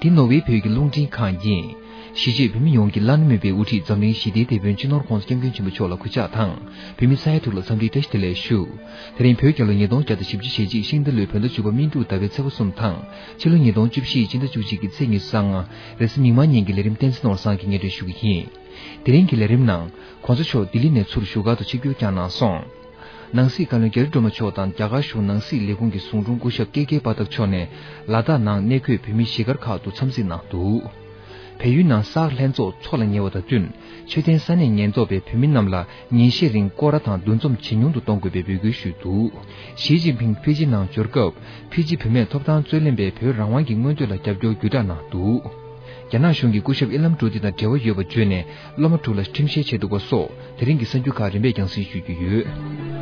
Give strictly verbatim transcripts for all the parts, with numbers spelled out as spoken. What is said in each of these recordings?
འདི་ནོར་ཝེ་བོད་ཀྱི་རླུང་འཕྲིན་ཁང་ཡིན། གཞིས་བྱེས་བོད་མི་ཡོངས་ཀྱི་བླ་ན་མེད་པའི་དབུ་ཁྲིད་འཛམ་གླིང་ཞི་བདེའི་དེད་དཔོན་སྤྱི་ནོར་༸གོང་ས་༸སྐྱབས་མགོན་ཆེན་པོ་མཆོག་ལ་གུས་ཕྱག་དང་། བོད་མི་ས་ཡ་དྲུག་ལ་འཚམས་འདྲིའི་བཀྲ་ཤིས་བདེ་ལེགས་ཞུ། དེ་རིང་བོད་རྒྱལ་ལོ་ཉིས་སྟོང་བརྒྱ་དང་བཞི་བཅུ་ཞེ་གཅིག་ཤིང་རྟ་ལོའི་བོད་ཟླ་བཅུ་པ་སྨིན་དྲུག་ཟླ་བའི་ཚེས་པ་གསུམ་དང་། ཕྱི་ལོ་ཉིས་སྟོང་བཅུ་བཞི་སྤྱི་ཟླ་བཅུ་གཅིག་གི་ཚེས་ཉི་ཤུ་རྩ་ལྔ། རེས་གཟའ་མིག་དམར་ཉིན་གྱི་ལས་རིམ་བསྟན་འཛིན་ནོར་བཟང་གིས་སྙན་སྒྲོན་ཞུ་གི་ཡིན། དེ་རིང་གི་ལས་རིམ་ནང་༸གོང་ས་མཆོག་ལྡི་ལི་ནས་ཚུར་བཞུགས་སྒར་དུ་ཆིབས་བསྒྱུར་བསྐྱངས་གནང་སོང་། ནང་སྲིད་བཀའ་བློན་རྒྱ་རི་སྒྲོལ་མ་མཆོག་དང་རྒྱ་གར་གཞུང་ནང་སྲིད་ལས་ཁུངས་ཀྱི་ཟུང་དྲུང་སྐུ་ཞབས་ཀེ་ཀེ་པ་ཐག་མཆོག་ནས་ལ་དྭགས་ནང་གནས་འཁོད་བོད་མི་གཞིས་སྒར་ཁག་ཏུ་འཚམས་གཟིགས་གནང་འདུག་བལ་ཡུལ་ནང་གསར་ལྷན་ཚོགས་འཚོགས་ལ་ཉེ་བ་དང་བསྟུན། མཆོད་རྟེན་ས་གནས་ཉེན་རྟོག་པས་བོད་མི་རྣམས་ལ་ཉིན་ཤས་རིང་སྐོར་ར་དང་འདུ་འཛོམས་ཇེ་ཉུང་དུ་གཏོང་དགོས་པའི་འབོད་སྐུལ་ཞུས་འདུག་ཞི་ཅིན་ཕིང་ཕི་ཇི་ནང་འབྱོར་སྐབས། ཕི་ཇི་བུད་མེད་ཐོབ་ཐང་རྩོད་ལེན་པས་བོད་རང་དབང་གི་མངོན་འདོད་ལ་རྒྱབ་སྐྱོར་བརྒྱུད་བསྒྲགས་གནང་འདུག་རྒྱ་ནག་གཞུང་གིས་སྐུ་ཞབས་ཨི་ལམ་ཀྲོ་ཏི་དང་འབྲེལ་བ་ཡོད་པ་བརྗོད་ནས། སློབ་མ་དྲུག་ལ་ཁྲིམས་བཤེར་བྱས་འདུག་པ་སོགས། དེ་རིང་གི་གསར་འགྱུར་ཁག་རིམ་པས་རྒྱང་སྲིང་ཞུ་རྒྱུ་ཡོད།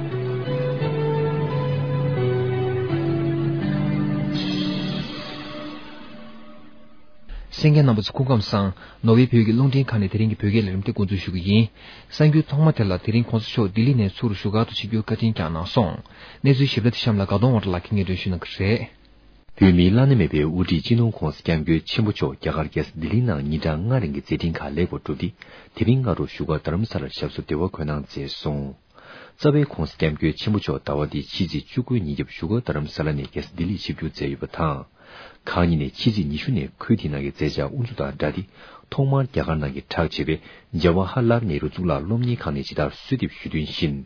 གསན་མཁན་རྣམ་པ་ཚོ་སྐུ་ཁམས་བཟང་། ནོར་ཝེ་བོད་ཀྱི་རླུང་འཕྲིན་ཁང་ནས་དེ་རིང་གི་བོད་སྐད་ལས་རིམ་དེ་འགོ་འཛུགས་ཞུ་གི་ཡིན། གསར་འགྱུར་ཐོག་མ་དེ་ལ། དེ་རིང་༸གོང་ས་མཆོག་ལྡི་ལི་ནས་ཚུར་བཞུགས་སྒར་དུ་ཆིབས་བསྒྱུར་བཀའ་དྲིན་བསྐྱངས་གནང་སོང་། གནས་ཚུལ་ཞིབ་ཕྲ་དེ་གཤམ་ལ་དགའ་གདོང་དབང་གྲགས་ལགས་ཀྱིས་སྙན་སྒྲོན་ཞུ་གནང་གི་རེད། བོད་མིའི་བླ་ན་མེད་པའི་དབུ་ཁྲིད་སྤྱི་ནོར་༸གོང་ས་༸སྐྱབས་མགོན་ཆེན་པོ་མཆོག་རྒྱ་གར་རྒྱལ་ས་ལྡི་ལི་ནང་ཉིན་གྲངས་ལྔ་རིང་གི་མཛད་འཕྲིན་ཁག་ལེགས་པར་གྲུབ་སྟེ། དེ་རིང་སྔ་དྲོ་བཞུགས་སྒར་རྡ་རམ་ས་ལར་ཞབས་སོར་བདེ་བར་འཁོད་གནང་མཛད་སོང་། རྩ་བའི་༸གོང་ས་༸སྐྱབས་མགོན་ཆེན་པོ་མཆོག་ཟླ་བ་འདིའི་ཕྱི་ཚེས་བཅུ་དགུའི་ཉིན་རྒྱབ་བཞུགས་སྒར་རྡ་རམ་ས་ལ་ནས་རྒྱལ་ས་ལྡི་ལིར་ཆིབས་བསྒྱུར་མཛད་ཡོད་པ་དང་། གང་ཉིད་ནས་ཕྱི་ཚེས་ཉི་ཤུ་ནས་ཁུལ་དེའི་ནང་གི་མཛད་འཆར་དབུ་འཛུགས་དང་སྦྲགས་ཏེ། ཐོག་མར་རྒྱ་གར་ནང་གི་གྲགས་ཆེ་བའི་ཇ་ཝ་ཧར་ལལ་ནེ་རུ་གཙུག་ལག་སློབ་གཉེར་ཁང་ནས་ཇི་ལྟར་གསོལ་འདེབས་ཞུས་དོན་བཞིན།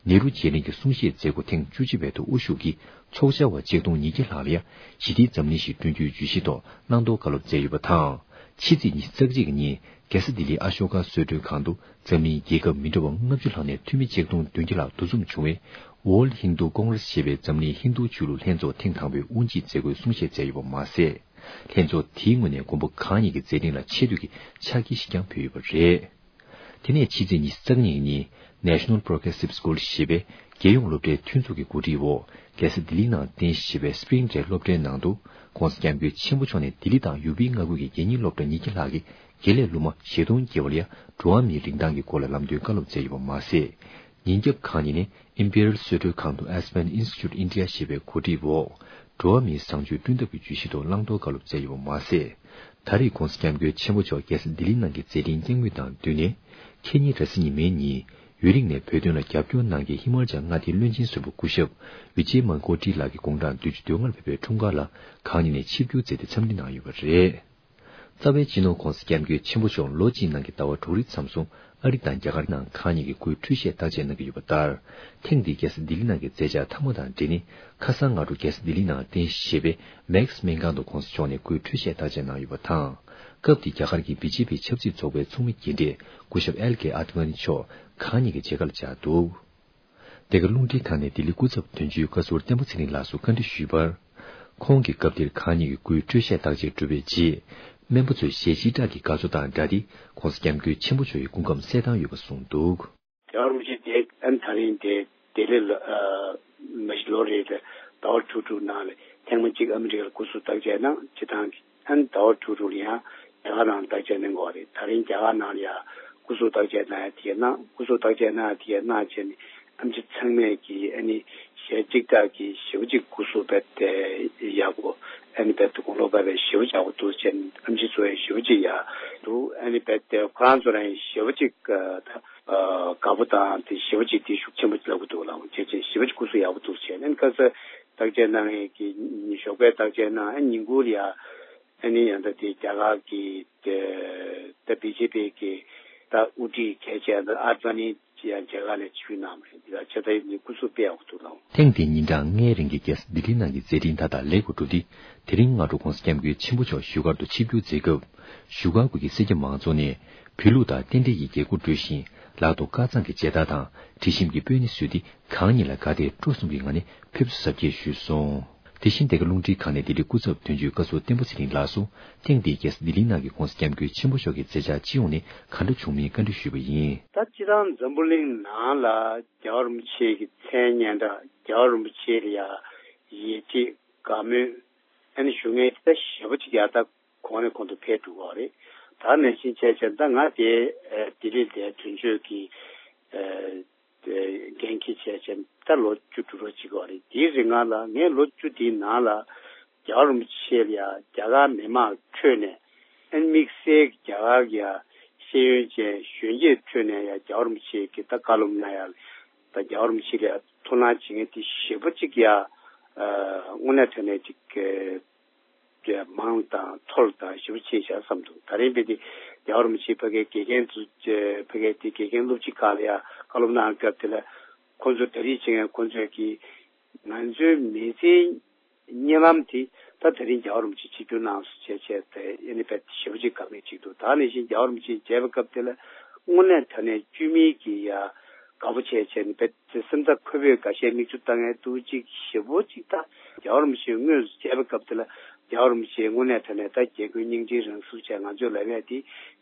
ནེ་རུ་རྗེས་དྲན་གྱི་གསུང་བཤད་མཛད་སྒོ་ཐེངས་བཅུ་གཅིག་པའི་ཐོག་དབུ་བཞུགས་ཀྱིས། ཚོགས་བཅར་བ་ཆིག་སྟོང་ཉིས་བརྒྱ་ལྷག་ལ་ཡང་ཞི་བདེའི་འཛམ་གླིང་ཞེས་བསྐྲུན་རྒྱུའི་བརྗོད་གཞི་ཐོག་བླང་དོར་བཀའ་སློབ་མཛད་ཡོད་པ་དང་། ཕྱི་ཚེས་ཉི་ཤུ་རྩ་གཅིག་གི་ཉིན་རྒྱལ་ས་ལྡི་ལིའི་ཨ་ཤོ་ཀ་གསོལ་མགྲོན་ཁང་དུ་འཛམ་གླིང་རྒྱལ་ཁབ་མི་འདྲ་བ་ལྔ་བཅུ་ལྷག་ནས་འཐུས་མི་ཆིག་སྟོང་བདུན་བརྒྱ་ལྷག་འདུ་འཛོམས་བྱུང་བའི་World Hindu Congress ཞེས་པའི་འཛམ་གླིང་ཧིན་རྡུ་ཆོས་ལུགས་ལྷན་ཚོགས་ཐེངས་དང་པོའི་དབུ་འབྱེད་མཛད་སྒོའི་གསུང་བཤད་མཛད་ཡོད་པ་མ་ཟད། ལྷན་ཚོགས་དེའི་ངོས་ནས་མགོན་པོ་གང་ཉིད་ཀྱི་མཛད་འཕྲིན་ལ་ཆེ་བསྟོད་ཀྱི་ཕྱག་འཁྱེར་ཞིག་ཀྱང་ཕུལ་ཡོད་པ་རེད། དེ་ནས་ཕྱི་ཚེས་ཉི་ཤུ་རྩ་གཉིས་ཉིན་National Progressive School ཞེས་པའི་རྒྱལ་ཡོངས་སློབ་གྲྭའི་མཐུན་ཚོགས་ཀྱི་གོ་སྒྲིག་འོག་རྒྱལ་ས་ལྡི་ལིའི་ནང་རྟེན་གཞི་བྱས་པའི་Spring Day སློབ་གྲྭའི་ནང་དུ། ༸གོང་ས་༸སྐྱབས་མགོན་ཆེན་པོ་མཆོག་ནས་ལྡི་ལི་དང་ཡུ་པིའི་མངའ་ཁུལ་གྱི་རྒྱལ་གཉེར་སློབ་གྲྭ་ཉིས་བརྒྱ་ལྷག་གི་དགེ་ལས་སློབ་མ་བཞི་སྟོང་བརྒལ་བ་ལ་ཡང་འགྲོ་བ་མིའི་རིན་ཐང་གི་སྐོར་ལ་ལམ་སྟོན་བཀའ་སློབ་མཛད་ཡོད་པ་མ་ཟད། ཉིན་རྒྱབ་གང་ཉིད་ནས་Imperial གསོལ་མགྲོན་ཁང་དུ་Aspen Institute India ཞེས་པའི་གོ་སྒྲིག་འོག་འགྲོ་བ་མིའི་བཟང་སྤྱོད་བསྐྲུན་ཐབས་ཀྱི་བརྗོད་གཞི་ཐོག་བླང་དོར་བཀའ་སློབ་མཛད་ཡོད་པ་མ་ཟད། ད་རེས་༸གོང་ས་༸སྐྱབས་མགོན་ཆེན་པོ་མཆོག་རྒྱལ་ས་ལྡི་ལི་ནང་གི་མཛད་འཕྲིན་སྐྱབས་མགོན་དང་བསྟུན་ནས། ཁེ་ཉིན་རེས་གཟའ་ཉི་མའི་ཉིན་ཡུན་རིང་ནས་བོད་དོན་ལ་རྒྱབ་སྐྱོར་གནང་མཁན་ཧི་མ་ཅལ་མངའ་སྡེའི་བློན་ཆེན་ཟུར་པ་སྐུ་ཞབས་ཝི་ཇེ་མན་ཀོ་ཏི་ལགས་ཀྱི་དགུང་གྲངས་བདུན་ཅུ་དོན་ལྔར་ཕེབས་པའི་འཁྲུངས་སྐར་ལ་གང་ཉིད་ནས་ཆིབས་བསྒྱུར་མཛད་དེ་འཚམས་འདྲི་གནང་ཡོད་པ་རེད། རྩ་བའི་སྤྱི་ནོར་༸གོང་ས་༸སྐྱབས་མགོན་ཆེན་པོ་མཆོག་ལོ་གཅིག་ནང་གི་ཟླ་བ་དྲུག་རེའི་མཚམས་སུ་ཨ་རི་དང་རྒྱ་གར་ནང་གང་ཉིད་ཀྱི་སྐུའི་འཕྲོད་བཞེས་བརྟག་དཔྱད་གནང་གི་ཡོད་པ་ལྟར། ཐེངས་འདིའི་རྒྱལ་ས་ལྡི་ལི་ནང་གི་མཛད་འཆར་མཐའ་མ་དང་འབྲེལ་ནས། ཁ་སང་སྔ་དྲོ་རྒྱལ་ས་ལྡི་ལི་ནང་རྟེན་གཞི་བྱས་པའི་མེག་སི་སྨན་ཁང་དུ་༸གོང་ས་མཆོག་ནས་སྐུའི་འཕྲོད་བཞེས་བརྟག་དཔྱད་གནང་ཡོད་པ་དང་། སྐབས་དེར་རྒྱ་གར་གྱི་བི་ཇེ་པི་ཆབ་སྲིད་ཚོགས་པའི་ཚོགས་མི་རྒན་གྲས་སྐུ་ཞབས་ཨེལ་ཀེ་ཨ་ཏི་ཝ་ནི་མཆོག་གང་ཉིད་ཀྱི་མཇལ་ཁར་བཅར་འདུག་འདི་ག་རླུང་འཕྲིན་ཁང་ནས་ལྡི་ལི་སྐུ་ཚབ་དོན་གཅོད་བཀའ་ཟུར་བསྟན་པ་ཚེ་རིང་ལགས་སུ་བཀའ་འདྲི་ཞུས་པར། ཁོང་གིས་སྐབས་དེར་གང་ཉིད་ཀྱི་སྐུའི་འཕྲོད་བཞེས་བརྟག་དཔྱད་གྲུབ་པའི་རྗེས། སྨན་པ་ཚོས་ཞལ་ལྕེ་བཀྲག་གིས་དགའ་ཚོར་དང་སྦྲགས་ཏེ། ༸གོང་ས་༸སྐྱབས་མགོན་ཆེན་པོ་མཆོག་གི་སྐུ་ཁམས་གསལ་ཐང་ཡོད་པ་གསུངས་འདུག་རྒྱལ་བ་རིན་པོ་ཆེ་དེ་ཨན་ད་རིང་དེ་ལྡི་ལི་ལ་ཨ་མ་གཞི་ལོ་རེ་ལ་ཟླ་བ་དྲུག་དྲུག་ནང་ལ་ཐེངས་མ་གཅིག་ཨ་མི་རི་ཀ་ལ་སྐུ་གཟུགས་བརྟག་དཔྱད་གནང་། སྤྱིར་བཏང་གི་ཨན་ཟླ་བ་དྲུག་དྲུག་ལ་ཡང་རྒྱ་གར་ནང་ལ་བརྟག་དཔྱད་གནང་དགོས་རེད། ད་རིང་རྒྱ་གར་ནང་ལ་ཡང་སྐུ་གཟུགས་བརྟག་དཔྱད་གནང་ཡ་དེ་གནང་། སྐུ་གཟུགས་བརྟག་དཔྱད་གནང་ཡ་དེ་གནང་བྱས་ནས་ཨེམ་ཆི་ཚང་མས་ཀྱི་ཨ་ནི་ཞལ་གཅིག་ལྟར་གྱི་ཞེ་པོ་གཅིག་སྐུ་གཟུགས་རྦད་དེ་ཡག་པོ། ཨ་ནི་རྦད་དེ་དགུང་ལོ་རྦད་དེ་ཞེ་པོ་ཡག་པོ་འདུག་བྱས་ནས་ཨེམ་ཆི་ཚོ་ཡང་ཞེ་པོ་གཅིག་ཡག་འདུག་ཨ་ནི་རྦད་དེ་ཁོ་རང་ཚོ་རང་ཡང་ཞེ་པོ་གཅིག་ད་ཨ་དགའ་པོ་དང་དེ་ཞེ་པོ་གཅིག་དེ་ཤུགས་ཆེན་པོ་ལབ་ཀྱི་འདུག་ལགས། བྱས་བྱས་ཞེ་པོ་གཅིག་སྐུ་གཟུགས་ཡག་པོ་འདུག་བྱས་ནས་ཁ་སང་བརྟག་དཔྱད་གནང་ཡས་ཀྱི་ཉིན་ཞོགས་པའི་བརྟག་དཔྱད་གནང་། ཨ་ཉིན་གུང་ལ་ཡ་ཨ་ནི་ཡང་ད་དེ་རྒྱ་གར་གྱི་དེ་ད་བི་ཇེ་པི་གི་ད་དབུ་ཁྲིད་གལ་ཆེ་ད་ཨ་ཌི་ཝ་ནི་ཡང་མཇལ་ཁ་ལ་ཆིབས་བསྒྱུར་གནང་བ་རེད། འདི་ལ་ཆེ་ད་ཡིན་སྐུ་གཟུགས་དཔེ་ཡག་པོ་འདུག་ལགས། ཐེངས་འདིའི་ཉིན་གྲངས་ལྔའི་རིང་གི་རྒྱལ་ས་ལྡི་ལི་ནང་གི་མཛད་འཕྲིན་མཐའ་དག་ལེགས་པར་གྲུབ་སྟེ། དེ་རིང་སྔ་དྲོ་༸གོང་ས་༸སྐྱབས་མགོན་ཆེན་པོ་མཆོག་བཞུགས་སྒར་དུ་ཆིབས་བསྒྱུར་མཛད་སྐབས། བཞུགས་སྒར་དགོན་གྱི་སེར་སྐྱ་མང་ཚོགས་ནས་བོད་ལུགས་དང་རྟེན་འབྲེལ་གྱི་རྒྱལ་སྒོ་སྒྲོལ་ཞིང་། ལག་ཏུ་དཀར་གཙང་གི་མཇལ་དར་དང་དྲི་ཞིམ་གྱི་སྤོས་སྣེ་བཟོས་ཏེ། གང་ཉིད་ལ་དགའ་དད་སྤྲོ་གསུམ་གྱི་ངང་ནས་ཕེབས་བསུ་གཟབ་རྒྱས་ཞུས་སོང་། དེ་བཞིན་འདི་ག་རླུང་འཕྲིན་ཁང་ནས་ལྡི་ལི་སྐུ་ཚབ་དོན་གཅོད་བཀའ་ཟུར་བསྟན་པ་ཚེ་རིང་ལགས་སུ། ཐེངས་འདིའི་རྒྱལ་ས་ལྡི་ལིའི་ནང་གི་༸གོང་ས་༸སྐྱབས་མགོན་ཆེན་པོ་མཆོག་གི་མཛད་འཆར་སྤྱི་ཡོངས་ནས་ག་འདྲ་བྱུང་མིན་བཀའ་འདྲི་ཞུས་པ་ཡིན། ད་སྤྱིར་བཏང་འཛམ་བུ་གླིང་ནང་ལ་རྒྱལ་བ་རིན་པོ་ཆེ་གི་མཚན་སྙན་གྲགས། རྒྱལ་བ་རིན་པོ་ཆེ་ལ་ཡ་ཡིད་ཆེས་དགའ་མོས་ཨ་ནི་ཞུ་མཁན་ད་ཞེ་པོ་ཅིག་ཡ་ད་གོང་ནས་གོང་དུ་འཕེལ་འགྲོ་གི་རེད། ད་ནང་བཞིན་བྱས་བྱས་ད་ང་དེ་ལྡི་ལི་ལ་དོན་གཅོད་ཀྱི་འགན་འཁྱེར་བྱས་བྱས་ད་ལོ་བཅུ་དྲུག་རོ་ཅིག་གི་རེད། དེའི་རིང་ལ་ངས་ལོ་བཅུ་དེའི་ནང་ལ། རྒྱལ་བ་རིན་པོ་ཆེ་ལ་ཡ་རྒྱ་གར་མི་མང་ཁྲོད་ནས་ཨ་ནི་དམིགས་བསལ་གྱི་རྒྱ་གར་གྱི་ཡ་ཤེས་ཡོན་ཅན་གཞོན་སྐྱེས་ཁྲོད་ནས་ཡ་རྒྱལ་བ་རིན་པོ་ཆེ་གི་ད་བཀའ་སློབ་གནང་ཡ་ད་རྒྱལ་བ་རིན་པོ་ཆེ་ལ་ཡ་ཐུགས་སྣང་བྱེད་མཁན་དེ་ཞེ་པོ་ཅིག་ཡ་དངོས་གནས་དྲང་གནས་ཅིག་གི་མང་དང་མཐོ་དང་ཞེ་པོ་ཆེ་བཞག་བསམ་འདུག་ད་རིང་བས་དེ་རྒྱལ་བ་རིན་པོ་ཆེ་ཕ་གའི་དགེ་རྒན་ཚོ་ཕ་གའི་དེ་དགེ་རྒན་སློབ་སྤྱི་ཁག་ལ་ཡ་བཀའ་སློབ་གནང་སྐབས་དེ་ལ་ཁོང་ཚོ་གྲ་སྒྲིག་བྱེད་མཁན་ཁོང་ཚོས་ཀྱིས་ང་ཚོའི་མི་ཚེའི་གཉིད་ལམ་དེ་ད་དེ་རིང་རྒྱལ་བ་རིན་པོ་ཆེ་ཆིབས་བསྒྱུར་གནང་སོང་བྱས་བྱས་ཏེ་ཨེ་ནི་བས་ཞེ་པོ་ཅིག་དགའ་མཁན་ཅིག་འདུག་ད་ནང་བཞིན་རྒྱལ་བ་རིན་པོ་ཆེ་མཇལ་བའི་སྐབས་དེ་ལ་དངོས་གནས་དྲང་གནས་བཅོས་མིན་གྱི་ཡ་དགའ་པོ་བྱས་བྱས་ནས་བས་སེམས་རྩ་འཁོལ་པོས་འགའ་ཤས་མིག་ཆུ་བཏང་ཡས་འདུག་ཅིག་ཞེ་པོ་ཅིག་ད་རྒྱལ་བ་རིན་པོ་ཆེ་དངོས་སུ་མཇལ་བའི་སྐབས་དེ་ལ་རྒྱལ་བ་རིན་པོ་ཆེ་དངོས་གནས་དྲང་གནས་ད་རྒྱལ་ཀུན་སྙིང་རྗེའི་རང་གཟུགས་བྱས་ང་ཚོས་ལབ་ཡས་དེ་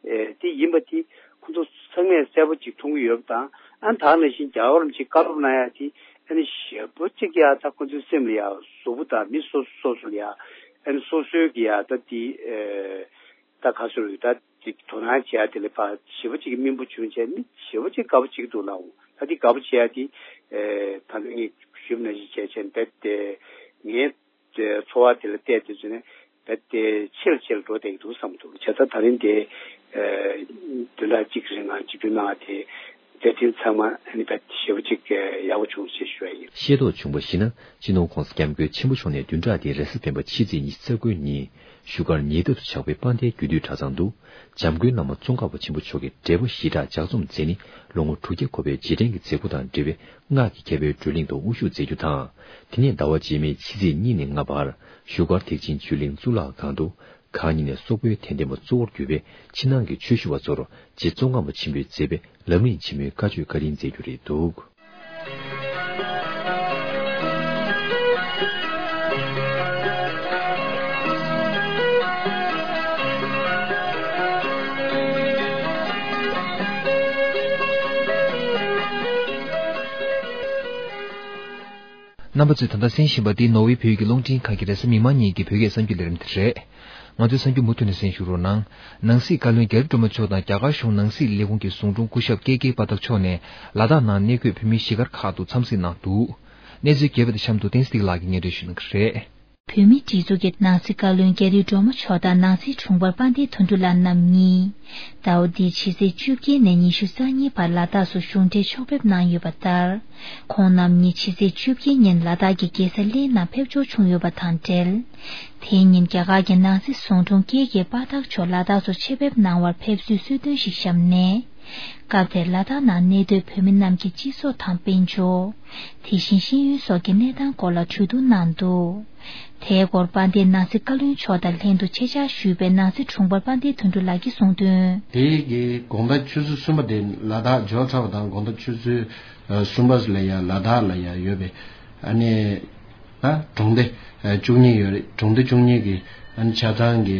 ཨེ་དེ་ཡིན་པ་དེ་ཁོ་ཚོ་ཚང་མས་གསལ་པོ་ཅིག་མཐོང་གི་ཡོད་པ་དང་ཨ་ད་ནང་བཞིན་རྒྱལ་བ་རིན་པོ་ཆེ་བཀའ་སློབ་གནང་ཡ་དེ་ཨ་ནི་ཞེ་པོ་ཅིག་ཡ་ད་ཁོ་ཚོའི་སེམས་ལ་ཡ་གཟུགས་པོ་དང་མི་སོ་སོ་སོ་ལ་ཡ་ཨ་ནི་སོ་སོའི་གི་ཡ་ད་དེ་ཨེ་ད་ག་ཚོད་རེད་ད་དེ་དོ་སྣང་བྱེད་ཡ་དེ་ལ་ཕ་ཞེ་པོ་ཅིག་གི་སྨིན་པོ་བྱུང་བྱས་མི་ཞེ་པོ་ཅིག་དགའ་པོ་ཅིག་འདུག་ལགས། ད་དེ་དགའ་པོ་བྱེད་ཡ་དེ་ཨེ་ད་ནི་ངས་ཞུས་ནང་བཞིན་བྱས་བྱས་འབད་དེ་ངས། ཚོར་བ་དེ་ལ་བལྟས་དུས་ཙམ་ནས་རྦད་དེ་ཆེ་རུ་ཆེ་རུ་འགྲོ་བསྡད་ཀྱི་འདུག་བསམ་འདུག་བྱས་ཙང་ད་རིང་དེ་བདུན་ཕྲག་གཅིག་རིང་ང་གཅིག་གྱུར་གནང་བ་དེ་མཛད་འཕྲིན་ཚང་མ་ཨ་ནི་རྦད་ཞེ་པོ་ཅིག་ཡག་པོ་བྱུང་ཞེས་ཞུ་བ་ཡིན། ཤེས་རྟོགས་བྱུང་བ་ཞིག་ན་སྤྱི་ནོར་༸གོང་ས་༸སྐྱབས་མགོན་ཆེན་པོ་མཆོག་ནས་བདུན་ཕྲག་འདིའི་རེས་གཟའ་སྤེན་པ་ཕྱི་ཚེས་ཉི་ཤུ་རྩ་དགུའི་ཉིན་བཞུགས་སྒར་ཉེ་འདབས་སུ་ཆགས་པའི་དཔལ་ལྡན་རྒྱུད་སྟོད་གྲྭ་ཚང་དུ་འཇམ་མགོན་བླ་མ་ཙོང་ཁ་པ་ཆེན་པོ་མཆོག་གི་འབྲས་བུ་ཞི་དྲག་ལྗགས་རྩོམ་མཛད་ནི་ལོ་ངོ་དྲུག་བརྒྱ་འཁོར་བའི་རྗེས་དྲན་གྱི་མཛད་སྒོ་དང་འབྲེལ་བའི་སྔགས་ཀྱི་མཁས་པའི་བགྲོ་གླེང་དུ་དབུ་བཞུགས་མཛད་རྒྱུ་དང་། དེ་ནས་ཟླ་བ་རྗེས་མའི་ཕྱི་ཚེས་གཉིས་ནས་ལྔ་བར་བཞུགས་སྒར་ཐེག་ཆེན་ཆོས་གླིང་གཙུག་ལག་ཁང་དུ་གང་ཉིད་ནས་སོག་པོའི་དད་ལྡན་པ་གཙོ་བོར་གྱུར་པའི་ཕྱི་ནང་གི་ཆོས་ཞུ་བ་ཚོར་རྗེ་ཙོང་ཁ་པ་ཆེན་པོས་མཛད་པའི་ལམ་རིམ་ཆེན་མོའི་བཀའ་ཆོས་བཀའ་དྲིན་མཛད་རྒྱུ་རེད་འདུག་རྣམ་པ་ཚོས་ད་ལྟ་གསན་བཞིན་པ་འདི་ནོར་ཝེ་བོད་ཀྱི་རླུང་འཕྲིན་ཁང་གི་རེས་གཟའ་མིག་དམར་ཉིན་གྱི་བོད་སྐད་གསར་འགྱུར་ལས་རིམ་དེ་རེད། ང་ཚོའི་གསར་འགྱུར་མུ་མཐུད་ནས་གསན་ཞུ་རོགས་གནང་། ནང་སྲིད་བཀའ་བློན་རྒྱ་རི་སྒྲོལ་མ་མཆོག་དང་རྒྱ་གར་གཞུང་ནང་སྲིད་ལས་ཁུངས་ཀྱི་ཟུང་དྲུང་སྐུ་ཞབས་ཀེ་ཀེ་པ་ཐག་མཆོག་ནས་ལ་དྭགས་ནང་གནས་འཁོད་བོད་མི་གཞིས་སྒར་ཁག་ཏུ་འཚམས་གཟིགས་གནང་འདུག་གནས་ཚུལ་རྒྱས་པ་དང་གཤམ་དུ་བསྟན་འཛིན་ལགས་ཀྱིས་སྙན་སྒྲོན་ཞུ་གནང་གི་རེད། བོད་མིའི་སྒྲིག་འཛུགས་ཀྱི་ནང་སྲིད་བཀའ་བློན་རྒྱ་རི་སྒྲོལ་མ་མཆོག་དང་ནང་སྲིད་དྲུང་འཕར་དཔལ་ལྡན་དོན་གྲུབ་ལགས་རྣམ་གཉིས། ཟླ་བ་འདིའི་ཕྱི་ཚེས་བཅོ་བརྒྱད་ནས་ཉི་ཤུ་རྩ་གཉིས་བར་ལ་དྭགས་སུ་གཞུང་འབྲེལ་ཕྱོགས་ཕེབས་གནང་ཡོད་པ་ལྟར། ཁོང་རྣམ་གཉིས་ཕྱི་ཚེས་བཅོ་བརྒྱད་ཉིན་ལ་དྭགས་ཀྱི་རྒྱལ་ས་གླེ་ནང་ཕེབས་འབྱོར་བྱུང་ཡོད་པ་དང་འབྲེལ། དེའི་ཉིན་རྒྱ་གར་གྱི་ནང་སྲིད་ཟུང་དྲུང་ཀེ་ཀེ་པ་ཐག་མཆོག་ལ་དྭགས་སུ་ཆེད་ཕེབས་གནང་བར་ཕེབས་བསུའི་གསོལ་སྟོན་ཞིག་བཤམས་ནས། སྐབས་དེར་ལ་དྭགས་ནང་གནས་སྡོད་བོད་མི་རྣམས་ཀྱི་སྤྱི་ཚོགས་དང་དཔལ་འབྱོར། དེ་བཞིན་ཤེས་ཡོན་སོགས་ཀྱི་གནས་སྟངས་སྐོར་ལ་གྲོས་བསྡུར་གནང་འདུག་དེའི་སྐོར་དཔལ་ལྡན་ནང་སྲིད་བཀའ་བློན་མཆོག་དང་ལྷན་དུ་ཆེད་བཅར་ཞུས་པའི་ནང་སྲིད་དྲུང་འཕར་དཔལ་ལྡན་དོན་གྲུབ་ལགས་ཀྱིས་གསུངས་དོན། དེ་གི་དགོང་དག་ཆུ་ཚོད་གསུམ་པ་དེ་ལ་དྭགས་འབྱོར་ཚར་བ་དང་དགོང་དག་ཆུ་ཚོད་གསུམ་པ་ལ་ཡ་ལ་དྭགས་ལ་ཡ་ཡོད་པའི་ཨ་ནི། ད་གྲོང་སྡེ་བཅུ་གཉིས་ཡོད་རེད། གྲོང་སྡེ་བཅུ་གཉིས་ཀྱི་ཨ་ནི་ཆ་ཚང་གི་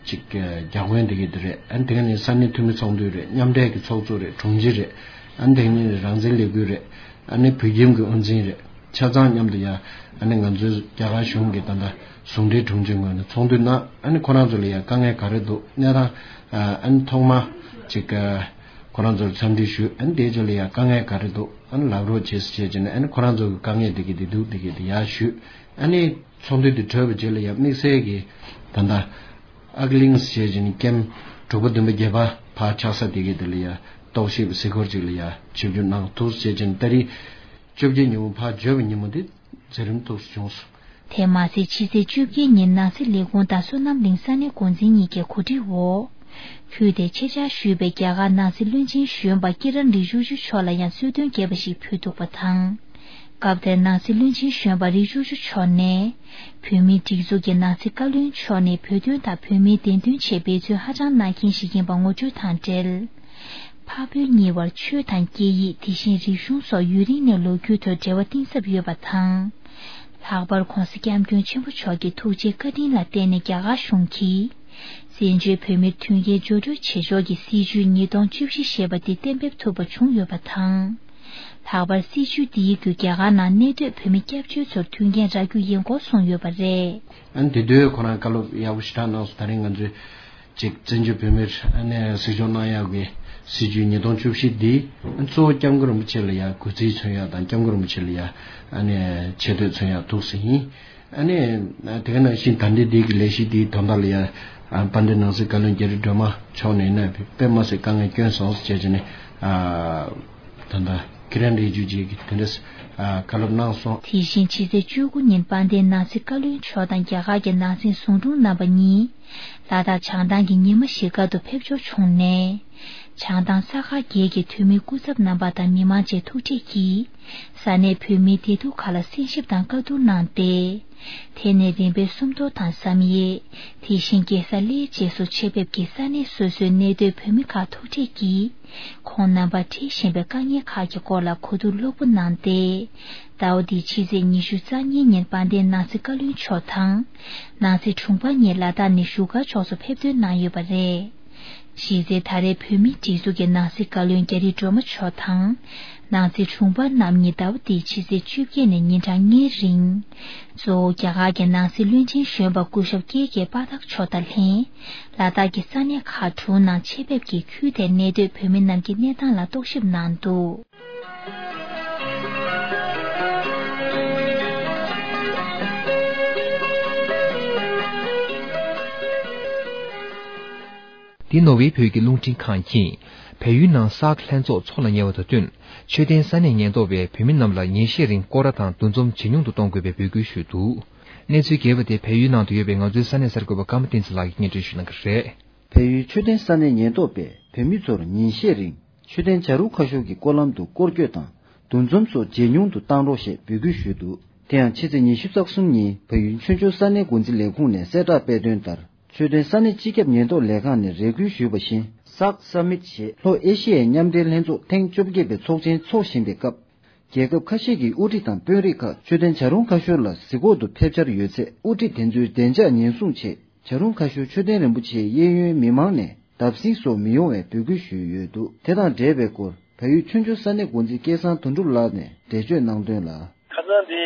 ཅིག་བརྒྱ་དཔོན་དེ་གི་དེ་རེད། ཨ་ནི་དེ་ག་ནི་ས་གནས་འཐུས་མི་ཚོགས་འདུ་རེད། མཉམ་འབྲེལ་གྱི་ཚོགས་གཙོ་རེད། དྲུང་ཆེ་རེད། ཨ་ནི་དེ་ག་ནི་རང་བཙན་ལས་འགུལ་རེད། ཨ་ནི་བོད་ཁྱིམ་གྱི་དབུ་འཛིན་རེད། ཆ་ཚང་མཉམ་དུ་ཡ་ཨ་ནི་ང་ཚོའི་རྒྱ་གར་གཞུང་གི་ད་ལྟ་ཟུང་འབྲེལ་དྲུང་ཆེ་ངོས་ནས་ཚོགས་འདུ་གནང་། ཨ་ནི་ཁོ་རང་ཚོ་ལ་ཡ་དཀའ་ངལ་ག་རེ་འདུག་གནས་སྟངས་ཨ་ནི་ཐོག་མ་ཅིག་ཁོ་རང་ཚོར་འཚམས་འདྲི་ཞུས། ཨ་ནི་དེའི་རྗེས་ལ་ཡ་དཀའ་ངལ་ག་རེ་འདུག་ཨ་ནི་ལབ་རོགས་བྱེད་ཟེར་བྱས་བྱས་ནས་ཨ་ནི་ཁོ་རང་ཚོ་གི་དཀའ་ངལ་དེ་གི་དེ་འདུག་དེ་གི་དེ་ཡར་ཞུས། ཨ་ནི་ཚོགས་འདུ་དེ་གྲོལ་བའི་རྗེས་ལ་ཡ་དམིགས་བསལ་གྱི་ད་ལྟ་ཨག་གླིང་ཟེར་བྱས་ནས་ཀེམ་དྲུག་པ་བདུན་པ་བརྒྱད་པ་ཕར་ཆགས་ས་དེ་གི་དེ་ལ་ཡ་རྟོག་ཞིབ་གཟིགས་སྐོར་ཅིག་ལ་ཡ་ཆིབས་བསྒྱུར་གནང་ཐུགས་ཟེར་བྱས་ནས་ད་རེས་བཅོ་བརྒྱད་ཉིན་མོ་ཕར་འབྱོར་བའི་ཉིན་མོ་དེ་མཛད་རིམ་ཐུགས་སུ་བྱུང་སོང་། དེ་མ་ཟད་ཕྱི་ཚེས་བཅོ་བརྒྱད་ཉིན་ནང་སྲིད་ལས་ཁུངས་དང་བསོད་ནམས་གླིང་ས་གནས་འགོ་འཛིན་གཉིས་ཀྱི་གོ་སྒྲིག་འོག་ཁུལ་དེར་ཆེད་བཅར་ཞུས་པའི་རྒྱ་གར་ནང་སྲིད་བློན་ཆེན་གཞོན་པ་ཀི་རན་རི་ཇུ་ཇུ་མཆོག་ལ་ཡང་གསོལ་སྟོན་རྒྱས་པ་ཞིག་ཕུལ་འདུག་པ་དང་། སྐབས་དེར་ནང་སྲིད་བློན་ཆེན་གཞོན་པ་རི་ཇུ་ཇུ་མཆོག་ནས། བོད་མིའི་སྒྲིག་འཛུགས་ཀྱི་ནང་སྲིད་བཀའ་བློན་མཆོག་ནས་བོད་དོན་དང་བོད་མིའི་བདེན་དོན་ཆེད་འབད་བརྩོན་ཧ་ཅང་གནང་མཁན་ཞིག་ཡིན་པ་ངོ་སྤྲོད་དང་འབྲེལ། འཕགས་བོད་གཉིས་བར་ཆོས་དང་སྐད་ཡིག་དེ་བཞིན་རིག་གཞུང་སོགས་ཡུན་རིང་ནས་ལོ་རྒྱུས་ཐོག་འབྲེལ་བ་གཏིང་ཟབ་ཡོད་པ་དང་། ལྷག་པར་༸གོང་ས་༸སྐྱབས་མགོན་ཆེན་པོ་མཆོག་གི་ཐུགས་རྗེ་བཀའ་དྲིན་ལ་བརྟེན་ནས་རྒྱ་གར་གཞུང་གིས། བཙན་བྱོལ་བོད་མིར་མཐུན་རྐྱེན་སྦྱོར་སྤྲོད་བྱེད་ཕྱོགས་ཀྱི་སྲིད་བྱུས་ཉིས་སྟོང་བཅུ་བཞི་ཞེས་པ་དེ་གཏན་འབེབས་ཐུབ་པ་བྱུང་ཡོད་པ་དང་། ལྷག་པར་སྲིད་བྱུས་འདིའི་བརྒྱུད་རྒྱ་གར་ནང་གནས་སྡོད་བོད་མི་སྐྱབས་བཅོལ་ཚོར་མཐུན་རྐྱེན་རག་རྒྱུ་ཡིན་སྐོར་གསུངས་ཡོད་པ་རེད། ཨ་ནི་དེ་དུས་ཁོ་རང་བཀའ་སློབ་ཡག་པོ་ཞེ་དྲག་གནང་སོང་། ད་རིང་ང་ཚོས་ཅིག་བཙན་བྱོལ་བོད་མིར་ཨ་ནི་གཟིགས་སྐྱོང་གནང་ཡག་གི་སྲིད་བྱུས་ཉིས་སྟོང་བཅུ་བཞི་འདི་གཙོ་བོ་སྐྱབས་མགོན་རིན་པོ་ཆེ་ལ་ཡ་གུས་བརྩི་མཚོན་ཡག་དང་། སྐྱབས་མགོན་རིན་པོ་ཆེ་ལ་ཡ་ཨ་ནི་ཆེ་བསྟོད་མཚོན་ཡག་ཐུགས་སུ་ཡིན། ཨ་ནི་དེ་ག་ནང་བཞིན་ད་ལྟའི་འདི་གི་ལས་གཞི་འདིའི་དོན་དག་ལ་ཡང་དཔལ་ལྡན་ནང་སྲིད་བཀའ་བློན་རྒྱ་རི་སྒྲོལ་མ་མཆོག་ནས་ནི་དཔེ་མ་སྲིད་དཀའ་ངལ་བསྐྱོན་སོང་ཟེར་བྱས་ནས། ད་ལྟ་ཁྱེད་རང་ལས་འཇུ་རྗེས་ཀྱི་དེ་འདྲ་བཀའ་སློབ་གནང་སོང་། དེ་བཞིན་ཕྱི་ཚེས་བཅུ་དགུ་ཉིན་དཔལ་ལྡན་ནང་སྲིད་བཀའ་བློན་མཆོག་དང་རྒྱ་གར་གྱི་ནང་སྲིད་ཟུང་དྲུང་རྣམ་པ་གཉིས་ལ་དྭགས་བྱང་ཐང་གི་ཉི་མ་བཞི་སྒར་དུ་ཕེབས་འབྱོར་བྱུང་ནས། བྱང་ཐང་ས་མཁར་བརྒྱད་ཀྱི་འཐུས་མི་སྐུ་ཚབ་རྣམ་པ་དང་མི་མང་བཅས་ཐུག་འཕྲད་ཀྱིས། ས་གནས་བོད་མིའི་བདེ་སྡུག་ཁག་ལ་གསན་ཞིབ་དང་བཀའ་བསྡུར་གནང་སྟེ། དེ་ནས་རིམ་པས་སུམ་མདོ་དང་བསམ་ཡས། དེ་བཞིན་རྒྱལ་ས་གླེ་བཅས་སུ་ཆེད་ཕེབས་ཀྱིས་ས་གནས་སོ་སོའི་གནས་སྡོད་བོད་མི་ཁག་ཐུག་འཕྲད་ཀྱིས། ཁོང་རྣམ་པར་འཕྲད་བཞིན་པའི་དཀའ་ངལ་ཁག་གི་སྐོར་ལ་གོ་བསྡུར་ལྷུག་པོ་གནང་སྟེ། ཟླ་བ་འདིའི་ཕྱི་ཚེས་ཉི་ཤུ་རྩ་གཉིས་ཉིན་དཔལ་ལྡན་ནང་སྲིད་བཀའ་བློན་མཆོག་དང་། ནང་སྲིད་དྲུང་འཕར་གཉིས་ལ་དྭགས་ནས་བཞུགས་སྒར་ཕྱོགས་སུ་ཕེབས་ཐོན་གནང་ཡོད་པ་རེད། གཞི་རྩའི་ད་རེས་བོད་མིའི་སྒྲིག་འཛུགས་ཀྱི་ནང་སྲིད་བཀའ་བློན་རྒྱ་རི་སྒྲོལ་མ་མཆོག་དང་། ནང་སྲིད་དྲུང་འཕར་རྣམ་གཉིས་ཟླ་བ་འདིའི་ཕྱི་ཚེས་བཅོ་བརྒྱད་ནས་ཉིན་གྲངས་ལྔའི་རིང་། གཙོ་བོ་རྒྱ་གར་གྱི་ནང་སྲིད་བློན་ཆེན་གཞོན་པ་སྐུ་ཞབས་ཀེ་ཀེ་པ་ཐག་མཆོག་དང་ལྷན། ལ་དྭགས་ཀྱི་ས་གནས་ཁག་དྲུག་ནང་ཆེད་ཕེབས་ཀྱིས་ཁུལ་དེར་གནས་སྡོད་བོད་མི་རྣམས་ཀྱི་གནས་སྟངས་ལ་རྟོག་ཞིབ་གནང་འདུག་འདི་ནོར་ཝེ་བོད་ཀྱི་རླུང་འཕྲིན་ཁང་གིས། བལ་ཡུལ་ནང་སཱག་ལྷན་ཚོགས་འཚོགས་ལ་ཉེ་བ་དང་བསྟུན། མཆོད་རྟེན་ས་གནས་ཉེན་རྟོག་པས་བོད་མི་རྣམས་ལ་ཉིན་ཤས་རིང་སྐོར་ར་དང་འདུ་འཛོམས་ཇེ་ཉུང་དུ་གཏོང་དགོས་པའི་འབོད་སྐུལ་ཞུས་འདུག་གནས་ཚུལ་རྒྱས་པ་དེ་བལ་ཡུལ་ནང་དུ་ཡོད་པའི་ང་ཚོའི་ས་གནས་གསར་འགོད་པ་ཀརྨ་བསྟན་འཛིན་ལགས་ཀྱིས་སྙན་སྒྲོན་ཞུ་གནང་གི་རེད། བལ་ཡུལ་མཆོད་རྟེན་ས་གནས་ཉེན་རྟོག་པས་བོད་མི་ཚོར་ཉིན་ཤས་རིང་མཆོད་རྟེན་བྱ་རུང་ཁ་ཤོར་གྱི་སྐོར་ལམ་དུ་སྐོར་སྐྱོད་དང་འདུ་འཛོམས་སོགས་ཇེ་ཉུང་དུ་བཏང་རོགས་ཞེས་འབོད་སྐུལ་ཞུས་འདུག་དེ་ཡང་ཕྱི་ཚེས་ཉི་ཤུ་རྩ་གསུམ་ཉིན་བལ་ཡུལ་ཆོས་འབྱོར་ས་གནས་འགོ་འཛིན་ལས་ཁུངས་ནས་གསལ་བསྒྲགས་སྤེལ་དོན་ལྟར། མཆོད་རྟེན་ས་གནས་སྤྱི་ཁྱབ་ཉེན་རྟོག་ལས་ཁང་ནས་རེ་སྐུལ་ཞུས་པ་བཞིན། སཱག་སམ་མིཊ་ཞེས་ལྷོ་ཨེ་ཤི་ཡའི་མཉམ་འབྲེལ་ལྷན་ཚོགས་ཐེངས་བཅོ་བརྒྱད་པའི་ཚོགས་ཆེན་འཚོགས་བཞིན་པའི་སྐབས། རྒྱལ་ཁབ་ཁ་ཤས་ཀྱི་དབུ་ཁྲིད་དང་དཔོན་རིགས་ཁག་མཆོད་རྟེན་བྱ་རུང་ཁ་ཤོར་ལ་གཟིགས་སྐོར་དུ་ཕེབས་འཆར་ཡོད་ཚེ། དབུ་ཁྲིད་དེ་ཚོའི་བདེ་འཇགས་ཉེན་སྲུང་ཆེད་བྱ་རུང་ཁ་ཤོར་མཆོད་རྟེན་རིན་པོ་ཆེའི་གཡས་གཡོན་མི་མང་ནས་བརྡབ་གསིག་སོགས་མི་ཡོང་བའི་འབོད་སྐུལ་ཞུས་ཡོད་འདུག་དེ་དང་འབྲེལ་བའི་སྐོར་བལ་ཡུལ་ཆོས་འབྱོར་ས་གནས་འགོ་འཛིན་སྐལ་བཟང་དོན་གྲུབ་ལགས་ནས་འགྲེལ་བརྗོད་གནང་དོན་ལ། ཁ་སང་དེ་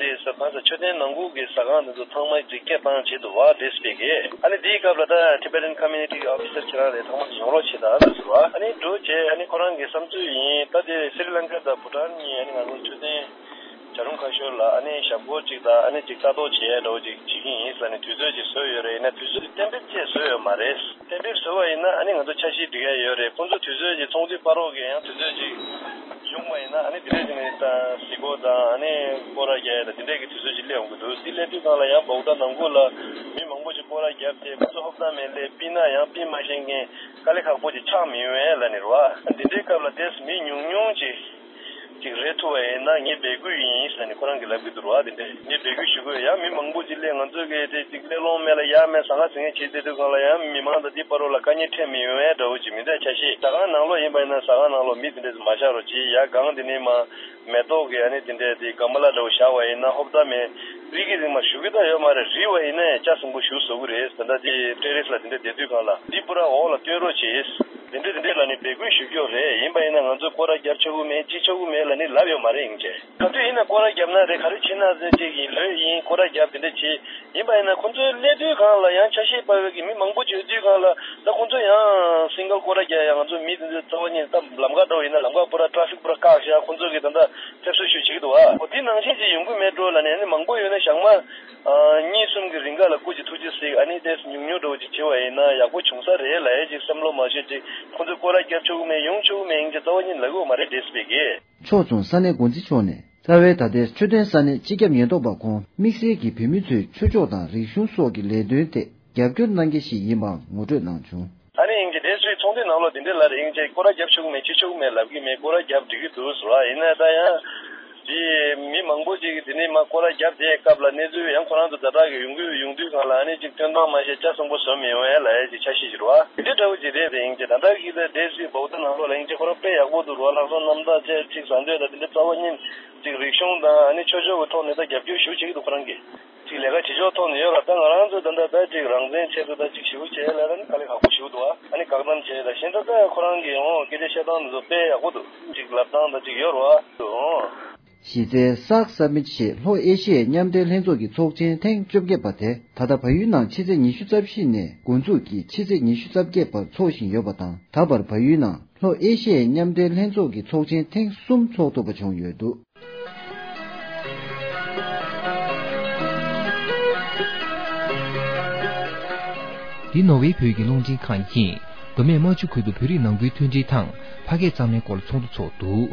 དེ་ས་ཁང་ས་མཆོད་རྟེན་ནང་ཁུལ་གྱི་ཟ་ཁང་དེ་ཚོ་ཚང་མ་དེ་སྐད་བཏང་བྱེད་དུ་བ་དེ་སྤེལ་གི། ཨ་ནི་དེའི་སྐབས་ལ་ད་Tibetan Community Officer ཁྱེད་རང་རེད། ཚང་མ་ཡོང་རོགས་བྱེད་དང་ལབ་ཟེར་བ། ཨ་ནི་འགྲོ་བྱས་ཨ་ནི་ཁོ་རང་གི་བསམ་ཚུལ་ཡིན། ད་དེ་སི་རི་ལང་ཀ་དང་བྷུ་ཊཱན་གཉིས་ཨ་ནི་ང་ཚོ་མཆོད་རྟེན་བྱ་རུང་ཁ་ཤོར་ལ་ཨ་ནི་ཞབས་སྐོར་གཅིག་དང་ཨ་ནི་གཅིག་ལྟ་རྟོག་བྱེད་ཡ་འདྲ་བོ་གཅིག་བྱེད་ཀྱི་ཡིན་ཟེར་ནས་དུས་ཚོད་ཅིག་བཟོས་ཡོད་རེད། ཡིན་ན་དུས་ཚོད་གཏན་འབེབས་བཅས་བཟོས་ཡོད་མ་རེད། གཏན་འབེབས་བཟོས་པ་ཡིན་ན་ཨ་ནི་ང་ཚོ་འཆར་གཞི་སྒྲིག་ཡ་ཡོད་རེད། ཁོང་ཚོ་དུས་ཚོད་ཅིག་ཚོགས་འདུའི་བར་རོགས་ཀྱི་ཡང་དུས་ཚོད་ཅིག་ཡོང་བ་ཡིན་ན་ཨ་ནི་དེ་འདྲས་ཀྱི་ནི་ད་གཟིགས་སྐོར་དང་ཨ་ནི་སྐོར་ར་རྒྱག་ཡ་དང་དེ་འདྲས་ཀྱི་དུས་ཚོད་ཅིག་སླེབས་ཡོང་གི་འདུག་དེ་སླེབས་དུས་སྒང་ལ་ཡང་བོག་ཊ་ནང་ཁུལ་ལ་མི་མང་པོ་ཅིག་སྐོར་ར་རྒྱབ་སྟེ་ཁོང་ཚོ་ཧོབ་ཏ་མེད་སླེབས་པིན་ན་ཡང་པིན་མ་ཤེས་མཁན་དཀའ་ལས་ཁག་པོ་ཅིག་ཆགས་མི་ཡོང་ཡ་ལབ་ནི་རེད་བ། འདི་འདྲའི་སྐབས་ལ་ཏོག་ཙམ་མི་ཉུང་ཉུང་ཅིག་ཅིག་རེད་ཐུབ་པ་ཡིན་ན་ངས་འབོད་སྐུལ་ཡིན་ཟེར་ནས་ཁོ་རང་གིས་ལབ་ཀྱི་འདུག་ར། དེ་འདྲས་ངས་འབོད་སྐུལ་ཞུ་དགོས། ཡང་མི་མང་པོ་ཅིག་སླེབས་ང་ཚོ་གིས་དེ་ཅིག་སླེབས་ལོང་མེད་ལ་ཡ་མེད་ཟ་ཁང་ཟིང་ངེ་བྱེད་བསྡད་དུས་སྒང་ལ་ཡང་མི་མང་དང་དེའི་བར་རོ་ལ་དཀའ་ངལ་འཕྲད་མི་ཡོང་བའི་འདྲ་བོ་ཅིག་མི་འདྲ་ཆ་ཤས། ཟ་ཁང་ནང་ལོགས་ཡིན་པ་ཡིན་ན་ཟ་ཁང་ནང་ལོགས་མི་དེ་འདྲས་མ་བཞག་རོགས་གྱིས། ཡ་གང་དེ་ནས་མ་མེ་ཏོག་གི་ཨ་ནི་དེ་འདྲས་དེ་ག་མ་ལ་འདྲ་བོ་བཞག་པ་ཡིན་ན་ཧོབ་ཏ་མེད་རིག་གི་རིག་མ་ཞུ་གི་ད་ཡོད་མ་རེད། རིག་པ་ཡིན་ན་ཡང་ལྕགས་ཟིང་པོ་ཞུ་བཟོ་གི་རེད། ད་ལྟ་དེ་ཏེ་རེས་ལ་དེ་འདྲས་བསྡད་དུས་སྒང་ལ་འདི་པུ་ར་འོག་ལ་སྟོན་རོགས་བྱེད། དེ་འདྲས་དེ་འདྲས་ལ་ནི་འབོད་སྐུལ་ཞུ་རྒྱུ་རེད། ཡིན་པ་ཡིན་ན་ང་ཚོས་སྐོར་ར་རྒྱབ་ཆོག་གི་མེད་ཅི་ཆོག་གི་མེད་ལ་ནི་ལབ་ཡོད་མ་རེད། ཡིན་ཅེ་ག་དུས་ཡིན་ན་སྐོར་ར་རྒྱབ་ན་རེད། ག་རེ་བྱེད་ན་རེད། ཅིག་ཡིན་ལོས་ཡིན་སྐོར་ར་རྒྱབ་དེ་འདྲས་བྱེད། ཡིན་པ་ཡིན་ན་ཁོང་ཚོའི་སླེབས་དུས་སྒང་ལ་ཡང་ཆ་ཤས་འབབ་པའི་གི་མི་མང་པོ་ཡོད་དུས་སྒང་ལ་ད་ཁོང་ཚོ་ཡང་སིང་གལ་སྐོར་ར་རྒྱག་ཡ་ང་ཚོ་མི་དེ་ཚོའི་རྩ་བ་ཉིད་ད་ལམ་ཁ་འདྲ་བོ་ཡིན་ན་ལམ་ཁ་པུ་ར་ཊ་ཕིག་པུ་ར་བཀག་བཞག་ཁོང་ཚོ་གི་ད་ལྟ་ཕེབས་བསུ་ཞུ་བྱེད་ཀྱི་འདུག་ཨ། འོ་དེ་ནང་བཞིན་ཅིག་ཡོང་གི་མེད་འགྲོ་ལབ་ནས་ཨ་ནི་མང་པོ་ཡོད་ན་ཞག་མ་གཉིས་གསུམ་གི་རིང་ག་ལ་སྐུ་མཁྱེན་ཐུགས་རྗེ་གཟིགས་ཨ་ནི་ཏོག་ཙམ་ཉུང་ཉུང་འདྲ་བོ་ཅིག་བྱེད་པ་ཡིན་ན་ཡག་པོ་བྱུང་ས་རེད་ལབ་ཡས་ཅིག་བསམ་བློ་མ་བྱས་ཅིག་ཁོང་ཚོས་སྐོར་ར་རྒྱབ་ཆོག་གི་མེད་ཡོང་ཆོག་གི་མེད་ཡིན་ཅེ་རྩ་བ་ཉིད་ལབ་ཀྱི་ཡོད་མ་རེད། འདྲེས་པའི་གི། ཕྱོགས་མཚུངས་ས་གནས་འགོ་འཛིན་མཆོག་ནས་རྩ་བའི་ད་ལྟའི་མཆོད་རྟེན་ས་གནས་སྤྱི་ཁྱབ་ཉེན་རྟོག་པ་ཁོང་དམིགས་བསལ་གྱིས་བོད་མི་ཚོའི་ཆོས་ཕྱོགས་དང་རིག་གཞུང་སོགས་ཀྱི་ལས་དོན་ཐད་རྒྱབ་སྐྱོར་གནང་མཁན་ཞིག་ཡིན་པའང་ངོ་སྤྲོད་གནང་བྱུང་། ཨ་ནི་ཡིན་གྱི་དེ་ཚོའི་ཚོགས་འདུའི་ནང་ལོགས་དེ་འདྲའི་ལབ་རེད། ཡིན་ཅེ་སྐོར་ར་རྒྱབ་ཆོག་གི་མེད་བྱེད་ཆོག་གི་མེད་ལབ་ཀྱི་མེད། སྐོར་ར་རྒྱབ་འགྲིག་གི་འདུག་ཟེར་བ་ཡིན་ན་ད་ཡང་དེ་མི་མང་པོ་ཅིག་གིས་དེ་ནས་མ་སྐོར་ར་རྒྱབ་དེའི་སྐབས་ལ་གནས་ཚུལ་ཡང་ཁོ་རང་ཚོ་ཛ་དྲག་གི་ཡོང་གི་ཡོང་དུས་སྒང་ལ་ཨ་ནི་ཅིག་སྟོན་སྟངས་མ་ཤེས་ལྕགས་ཟིང་པོ་བཟོ་མི་ཡོང་ཡ་ལབ་ཡ་ཅིག་འཆར་གཞི་ཞིག་རེད་བ། དེ་འདྲ་འདྲ་བོ་ཅིག་རེད་དེ། ཡིན་ཅེ་ད་ལྟ་གི་ད་དེ་སྲིད་བོག་ད་ནང་ལོགས་ལ་ཡིན་ཅེ་ཁོ་རང་དཔེ་ཡག་པོ་འདུག་ར། ལྷག་བསམ་རྣམ་དག་བཅས་ཅིག་ཟ་འདོད་ད་དེ་འདྲ་རྩ་བ་ཉིད་ཅིག་རིག་གཞུང་དང་ཨ་ནི་ཆོས་ཕྱོགས་ཀྱི་ཐོག་ནས་ད་རྒྱབ་སྐྱོར་ཞུ་བྱེད་ཀྱི་འདུག་ཁོ་རང་གིས། ཅིག་ལས་ཀ་བྱེད་ཕྱོགས་ཐོག་ནས་ཡོད་ལ་ད་ང་རང་ཚོ་ད་ལྟ་ད་ཅིག་རང་བཙན་ཆེད་དུ་ད་ཅིག་ཞུ་བྱས་ལ་ད་ནི་དཀའ་ལས་ཁག་པོ་ཞུ་འདུག་ཨ་ནི་བཀག་སྡོམ་བྱས་ད་གཞན་ད་ད་ཁོ་རང་གི་ཡང་སྐད་ཆ་བཤད་སྟངས་འདི་ཚོ་དཔེ་ཡག་པོ་འདུག་ཅིག་ལབ་སྟངས་ད་ཅིག་ཡོད་རེད་བ། གཞི་རྩའི་སཱག་སམ་མིཊ་ཞེས་ལྷོ་ཨེ་ཤི་ཡའི་མཉམ་འབྲེལ་ལྷན་ཚོགས་ཀྱི་ཚོགས་ཆེན་ཐེངས་བཅོ་བརྒྱད་པ་དེ་ད་ལྟ་བལ་ཡུལ་ནང་ཕྱི་ཚེས་ཉི་ཤུ་རྩ་བཞི་ནས་འགོ་འཛུགས་ཀྱིས་ཕྱི་ཚེས་ཉི་ཤུ་རྩ་བརྒྱད་བར་འཚོགས་བཞིན་ཡོད་པ་དང་། ད་བར་བལ་ཡུལ་ནང་ལྷོ་ཨེ་ཤི་ཡའི་མཉམ་འབྲེལ་ལྷན་ཚོགས་ཀྱི་ཚོགས་ཆེན་ཐེངས་གསུམ་འཚོགས་ཐུབ་པ་བྱུང་ཡོད་འདུག་འདི་ནོར་ཝེ་བོད་ཀྱི་རླུང་འཕྲིན་ཁང་ཡིན། མདོ་སྨད་རྨ་ཆུ་ཁུལ་དུ་བོད་རིགས་ནང་ཁུལ་མཐུན་སྒྲིལ་དང་ཕ་སྐད་གཙང་མའི་སྐོར་ཚོགས་འདུ་ཚོགས་འདུག་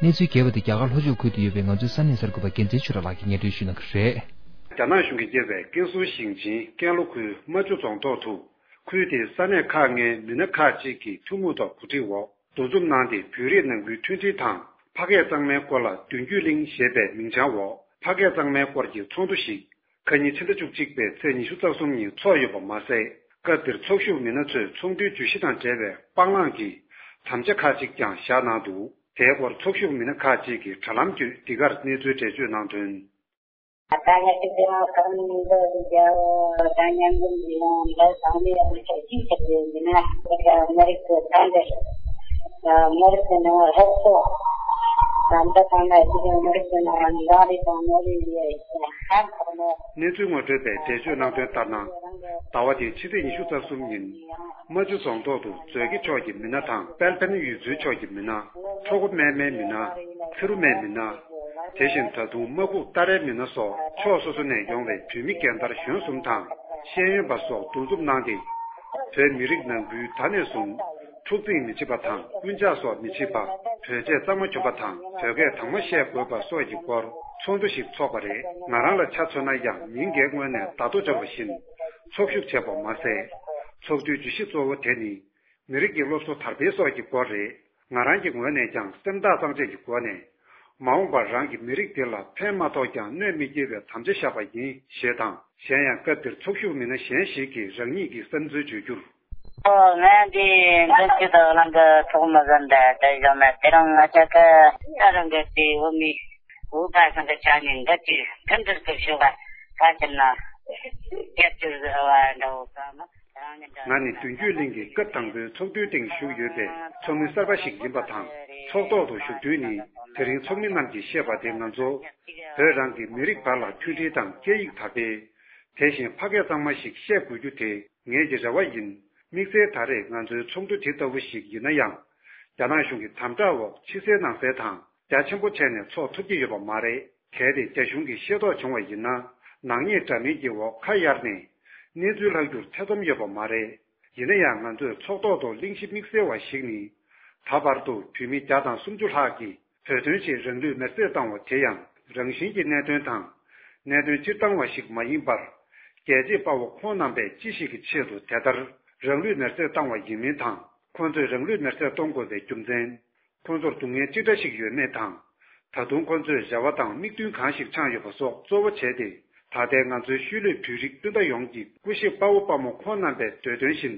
གནས་ཚུལ་རྒྱས་པ་དེ་རྒྱ་གར་ལྷོ་ཕྱོགས་ཁུལ་དུ་ཡོད་པའི་ང་ཚོའི་ས་གནས་གསར་འགོད་པ་རྒྱལ་མཚན་ཆོས་གྲགས་ལགས་ཀྱིས་སྙན་སྒྲོན་ཞུ་གནང་གི་རེད། རྒྱ་ནག་གཞུང་གིས་བསྐྱེད་པའི་ཀན་སུའུ་ཞིང་ཆེན་ཀན་ལྷོ་ཁུལ་རྨ་ཆུ་རྫོང་ཐོག་ཏུ། ཁུལ་དེའི་ས་གནས་ཁག་ལྔའི་མི་སྣ་ཁག་ཅིག་གིས་ཐུན་མོང་ཐོག་གོ་སྒྲིག་འོག་འདུ་འཛོམས་གནང་སྟེ། བོད་རིགས་ནང་ཁུལ་མཐུན་སྒྲིལ་དང་ཕ་སྐད་གཙང་མའི་སྐོར་ལ་མདུན་སྐྱོད་གླིང་ཞེས་པའི་མིང་བྱང་འོག་ཕ་སྐད་གཙང་མའི་སྐོར་གྱི་ཚོགས་འདུ་ཞིག་ཁ་ཉིན་ཕྱི་ཟླ་བཅུ་གཅིག་པའི་ཚེས་ཉི་ཤུ་རྩ་གསུམ་ཉིན་ཚོགས་ཡོད་པ་མ་ཟད། སྐབས་དེར་ཚོགས་ཞུགས་མི་སྣ་ཚོས་ཚོགས་འདུའི་བརྗོད་གཞི་དང་འབྲེལ་བའི་སྤང་བླང་གི་དམ་བཅའ་ཁག་ཅིག་ཀྱང་བཞག་གནང་འདུག་དེའི་སྐོར་ཚོགས་ཞུགས་མི་སྣ་ཁག་ཅིག་གིས་དྲ་ལམ་བརྒྱུད་འདི་གར་གནས་ཚུལ་འགྲེལ་བརྗོད་གནང་དོན། ད་ང་ཚོ་དེ་རིང་ཁམས་འདི་རྒྱལ་བོ་དང་མཉམ་འཛོམས་ཀྱི་ཡང་འདི་ཚང་མས་ཡང་ཆ་ཤས་ཆགས་ཡོད་ཀྱི་ན། དེ་ག་མི་རིགས་ཀྱི་མཐའ་འདིར་མི་རིགས་ཀྱི་ནང་སློབ་གསོ་དང་། འདི་ཚང་མ་ཅིག་མི་རིགས་ཀྱི་ནང་འདང་རེས་དང་མོས་རེས་ཡོད་ཀྱི་ན། ཧ་གོ་མོ། གནས་ཚུལ་ངོ་སྤྲོད་པས་འགྲེལ་བརྗོད་གནང་དོན་ལྟར་ན། ཟླ་བ་འདིའི་ཕྱི་ཚེས་ཉི་ཤུ་རྩ་གསུམ་ཉིན། རྨ་ཆུ་རྫོང་ཐོག་ཏུ་མཛོད་དགེ་ཕྱོགས་ཀྱི་མི་སྣ་དང་། དཔལ་ཕན་ཡུལ་ཚོའི་ཕྱོགས་ཀྱི་མི་སྣ། ཁྲོ་ཁོ་སྨད་མའི་མི་སྣ། ཚེ་རུ་སྨད་མི་སྣ། དེ་བཞིན་ད་དུང་རྨ་ཁུག་ཏཱ་རའི་མི་སྣ་སོགས་ཕྱོགས་སོ་སོ་ནས་ཡོང་བའི་བོད་མི་རྒན་དར་གཞོན་གསུམ་དང་ཤེས་ཡོན་པ་སོགས་འདུ་འཛོམས་གནང་སྟེ། བོད་མི་རིགས་ནང་ཁུལ་ད་ནས་བཟུང་འཁྲུག་འཛིང་མི་བྱེད་པ་དང་། རྐུན་ཇག་སོགས་མི་བྱེད་པ། བོད་ཆས་གཙང་མ་གྱོན་པ་དང་བོད་སྐད་དྭངས་མ་བཤད་དགོས་པ་སོགས་ཀྱི་སྐོར་ཚོགས་འདུ་ཞིག་ཚོགས་པ་རེད། ང་རང་ལ་ཆ་མཚོན་ན་ཡང་མི་འགའི་ངོས་ནས་བརྡ་ཐོ་འབྱོར་བ་བཞིན་ཚོགས་ཞུགས་བྱས་པ་མ་ཟད། ཚོགས་འདུའི་བརྗོད་གཞི་གཙོ་བོ་དེ་ནི། མི་རིགས་ཀྱི་སློབ་གསོ་དར་སྤེལ་སོགས་ཀྱི་སྐོར་རེད། ང་རང་གི་ངོས་ནས་ཀྱང་སེམས་ཐག་གཙང་བཅད་ཀྱི་སྒོ་ནས། མ་འོངས་པར་རང་གི་མི་རིགས་འདི་ལ་ཕན་མ་ཐོགས་ཀྱང་གནོད་མི་སྐྱེལ་བའི་དམ་བཅའ་བཞག་པ་ཡིན་ཞེས་དང་། གཞན་ཡང་སྐབས་དེར་ཚོགས་ཞུགས་མི་སྣ་གཞན་ཞིག་གིས་རང་ཉིད་ཀྱི་བསམ་ཚུལ་བརྗོད་རྒྱུར། ཨོ། ང་འདི་མདུན་སྐྱོད་དང་ནང་གི་ཚོགས་མི་ཟིན་ཏེ་དེ་བཞག་ན། དེ་རིང་ང་ཅག་གི་ཨ་རང་གི་དེ་འོ་མི་འོ་བ་སང་གི་ཆ་ནས་འདི་དུས་ཁྲིམས་འདིར་གི་ཤོག་ག་ཆ་ཕྱིར་ན་རྒྱབ་སྐྱོར་ཟེར་བ་འདྲ་བོ་ག་མ། ང་ནི་མདུན་སྐྱོད་གླིང་གི་སྐབས་དང་པོའི་ཚོགས་འདུའི་སྟེང་བཞུགས་ཡོད་པའི་ཚོགས་མི་གསར་པ་ཞིག་ཡིན་པ་དང་། ཚོགས་ཐོག་ཏུ་བཞུགས་དུས་ནི། དེ་རིང་ཚོགས་མི་རྣམས་ཀྱིས་བཤད་པ་དེ་ང་ཚོ་བོད་རང་གི་མི་རིགས་བར་ལ་མཐུན་སྒྲིལ་དང་སྐད་ཡིག་དར་སྤེལ། དེ་བཞིན་ཕ་སྐད་གཙང་མ་ཞིག་བཤད་དགོས་རྒྱུ་དེ་ངེད་ཀྱི་རེ་བ་ཡིན། དམིགས་བསལ་ད་རེས་ང་ཚོའི་ཚོགས་འདུ་དེ་ལྟ་བུ་ཞིག་ཡིན་ན་ཡང་། རྒྱ་ནག་གཞུང་གི་དམ་དྲག་འོག་ཕྱི་གསལ་ནང་གསལ་དང་རྒྱ་ཆེན་པོ་བྱས་ནས་ཚོགས་ཐུབ་ཀྱི་ཡོད་པ་མ་རེད། གལ་ཏེ་རྒྱ་གཞུང་གིས་ཤེས་རྟོགས་བྱུང་བ་ཡིན་ན། ནག་ཉེས་འདྲ་མིན་གྱི་འོག་ཁ་གཡར་ནས་གནས་ཚུལ་ལྷག་རྒྱུར་ཐེ་ཚོམ་ཡོད་པ་མ་རེད། ཡིན་ན་ཡང་ང་ཚོས་ཚོགས་ཐོག་ཏུ་གླེང་གཞི་དམིགས་བསལ་བ་ཞིག་ནི། ད་བར་དུ་བོད་མི་བརྒྱ་དང་སུམ་ཅུ་ལྷག་གིས་བོད་དོན་ཆེད་རང་ལུས་མེར་སྲེག་བཏང་བ་དེ་ཡང་རང་བཞིན་གྱི་གནད་དོན་དང་། གནད་དོན་སྤྱིར་བཏང་བ་ཞིག་མ་ཡིན་པར། རྒྱལ་གཅེས་དཔའ་བོ་ཁོང་རྣམ་པས་ཅི་ཞིག་གི་ཆེད་དུ་དེ་ལྟར་རང་ལུས་མེར་སྲེག་བཏང་བ་ཡིན་མིན་དང་། ཁོང་ཚོས་རང་ལུས་མེར་སྲེག་གཏོང་དགོས་པའི་རྒྱུ་མཚན། ཁོང་ཚོར་སྡུག་བསྔལ་ཅི་འདྲ་ཞིག་ཡོད་མེད་དང་། ད་དུང་ཁོང་ཚོས་རེ་བ་དང་དམིགས་འདུན་གང་ཞིག་འཆང་ཡོད་པ་སོགས་གཙོ་བོ་བྱས་ཏེ། ད་ལྟའི་ང་ཚོའི་ཤུལ་ལུས་བོད་རིགས་སྤུན་ཟླ་ཡོངས་ཀྱི་སྐུ་གཤེགས་དཔའ་བོ་དཔའ་མོ་ཁོང་རྣམ་པའི་འདོད་དོན་བཞིན།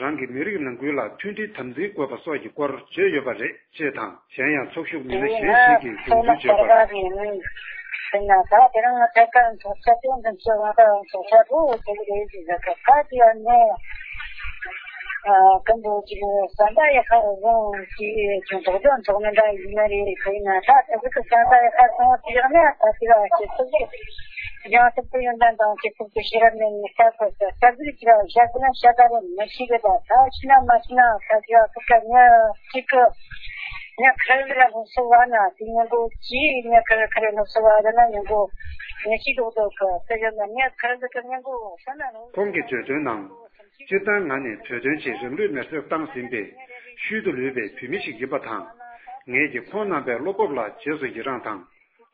རང་གི་མི་རིགས་ནང་ཁུལ་ལ་མཐུན་སྒྲིལ་དམ་འཛིན་དགོས་པ་སོགས་ཀྱི་སྐོར་བརྗོད་ཡོད་པ་རེད་ཅེས་དང་། གཞན་ཡང་ཚོགས་ཞུགས་མི་སྣ་གཞན་ཞིག་གིས་གསུང་བཤད་བརྗོད་པར། ཀན་ལྷོ་ཀྱི་བསམ་པ་ཡག་པ་རེ་བཟུང་གི་ཅུང་དོགས་ཟོན་ཐོག་མི་འདྲ་ཡིན་ན་རེད། དེ་ཡིན་ན་ད་ད་གཟིག་གི་བསམ་པ་ཡག་པ་སོང་དེ་ཡག་ན་ད་དེ་ལ་ཁྱེད་ཚོ་གི་ཡང་སྲིད་དུ་ཡོན་ཏན་དང་སྐྱེ་ཚུལ་དུ་ཤེས་རབ་ནས་ནི་ལྟ་དགོས་ས་ས་གཟིག་ཅི་ལ་བཞག་ན་ཤ་ད་རེ་མི་ཤེས་གི་ད་ད་ཤི་ན་མ་ཤི་ན་ད་དེ་ལ་ཁུ་ཀ་ཉ་གཅིག་གི་ཉ་ཁ་རེ་ལ་སློབ་གསོ་བ་ན་དེ་ཉིན་གོ་ཅི་ཉ་ཁ་རེ་ཁ་རེ་སློབ་གསོ་བ་ད་ན་ཉིན་གོ་ཉ་ཤི་དོག་དོག་གི་ས་ཡོད་ན་ཉ་ཁ་རེ་གི་ཉིན་གོ་ས་ན་ལོ། ཁོང་གིས་བརྗོད་དོན་ནང་། སྤྱིར་བཏང་ང་ནི་བོད་དོན་ཆེད་རང་ལུས་མེར་སྲེག་བཏང་ཟིན་པའི་ཤུལ་དུ་ལུས་པའི་བོད་མི་ཞིག་ཡིན་པ་དང་། ངེད་ཀྱིས་ཁོང་རྣམ་པའི་བློ་སྤོབས་ལ་རྗེས་སུ་ཡི་རངས་དང་།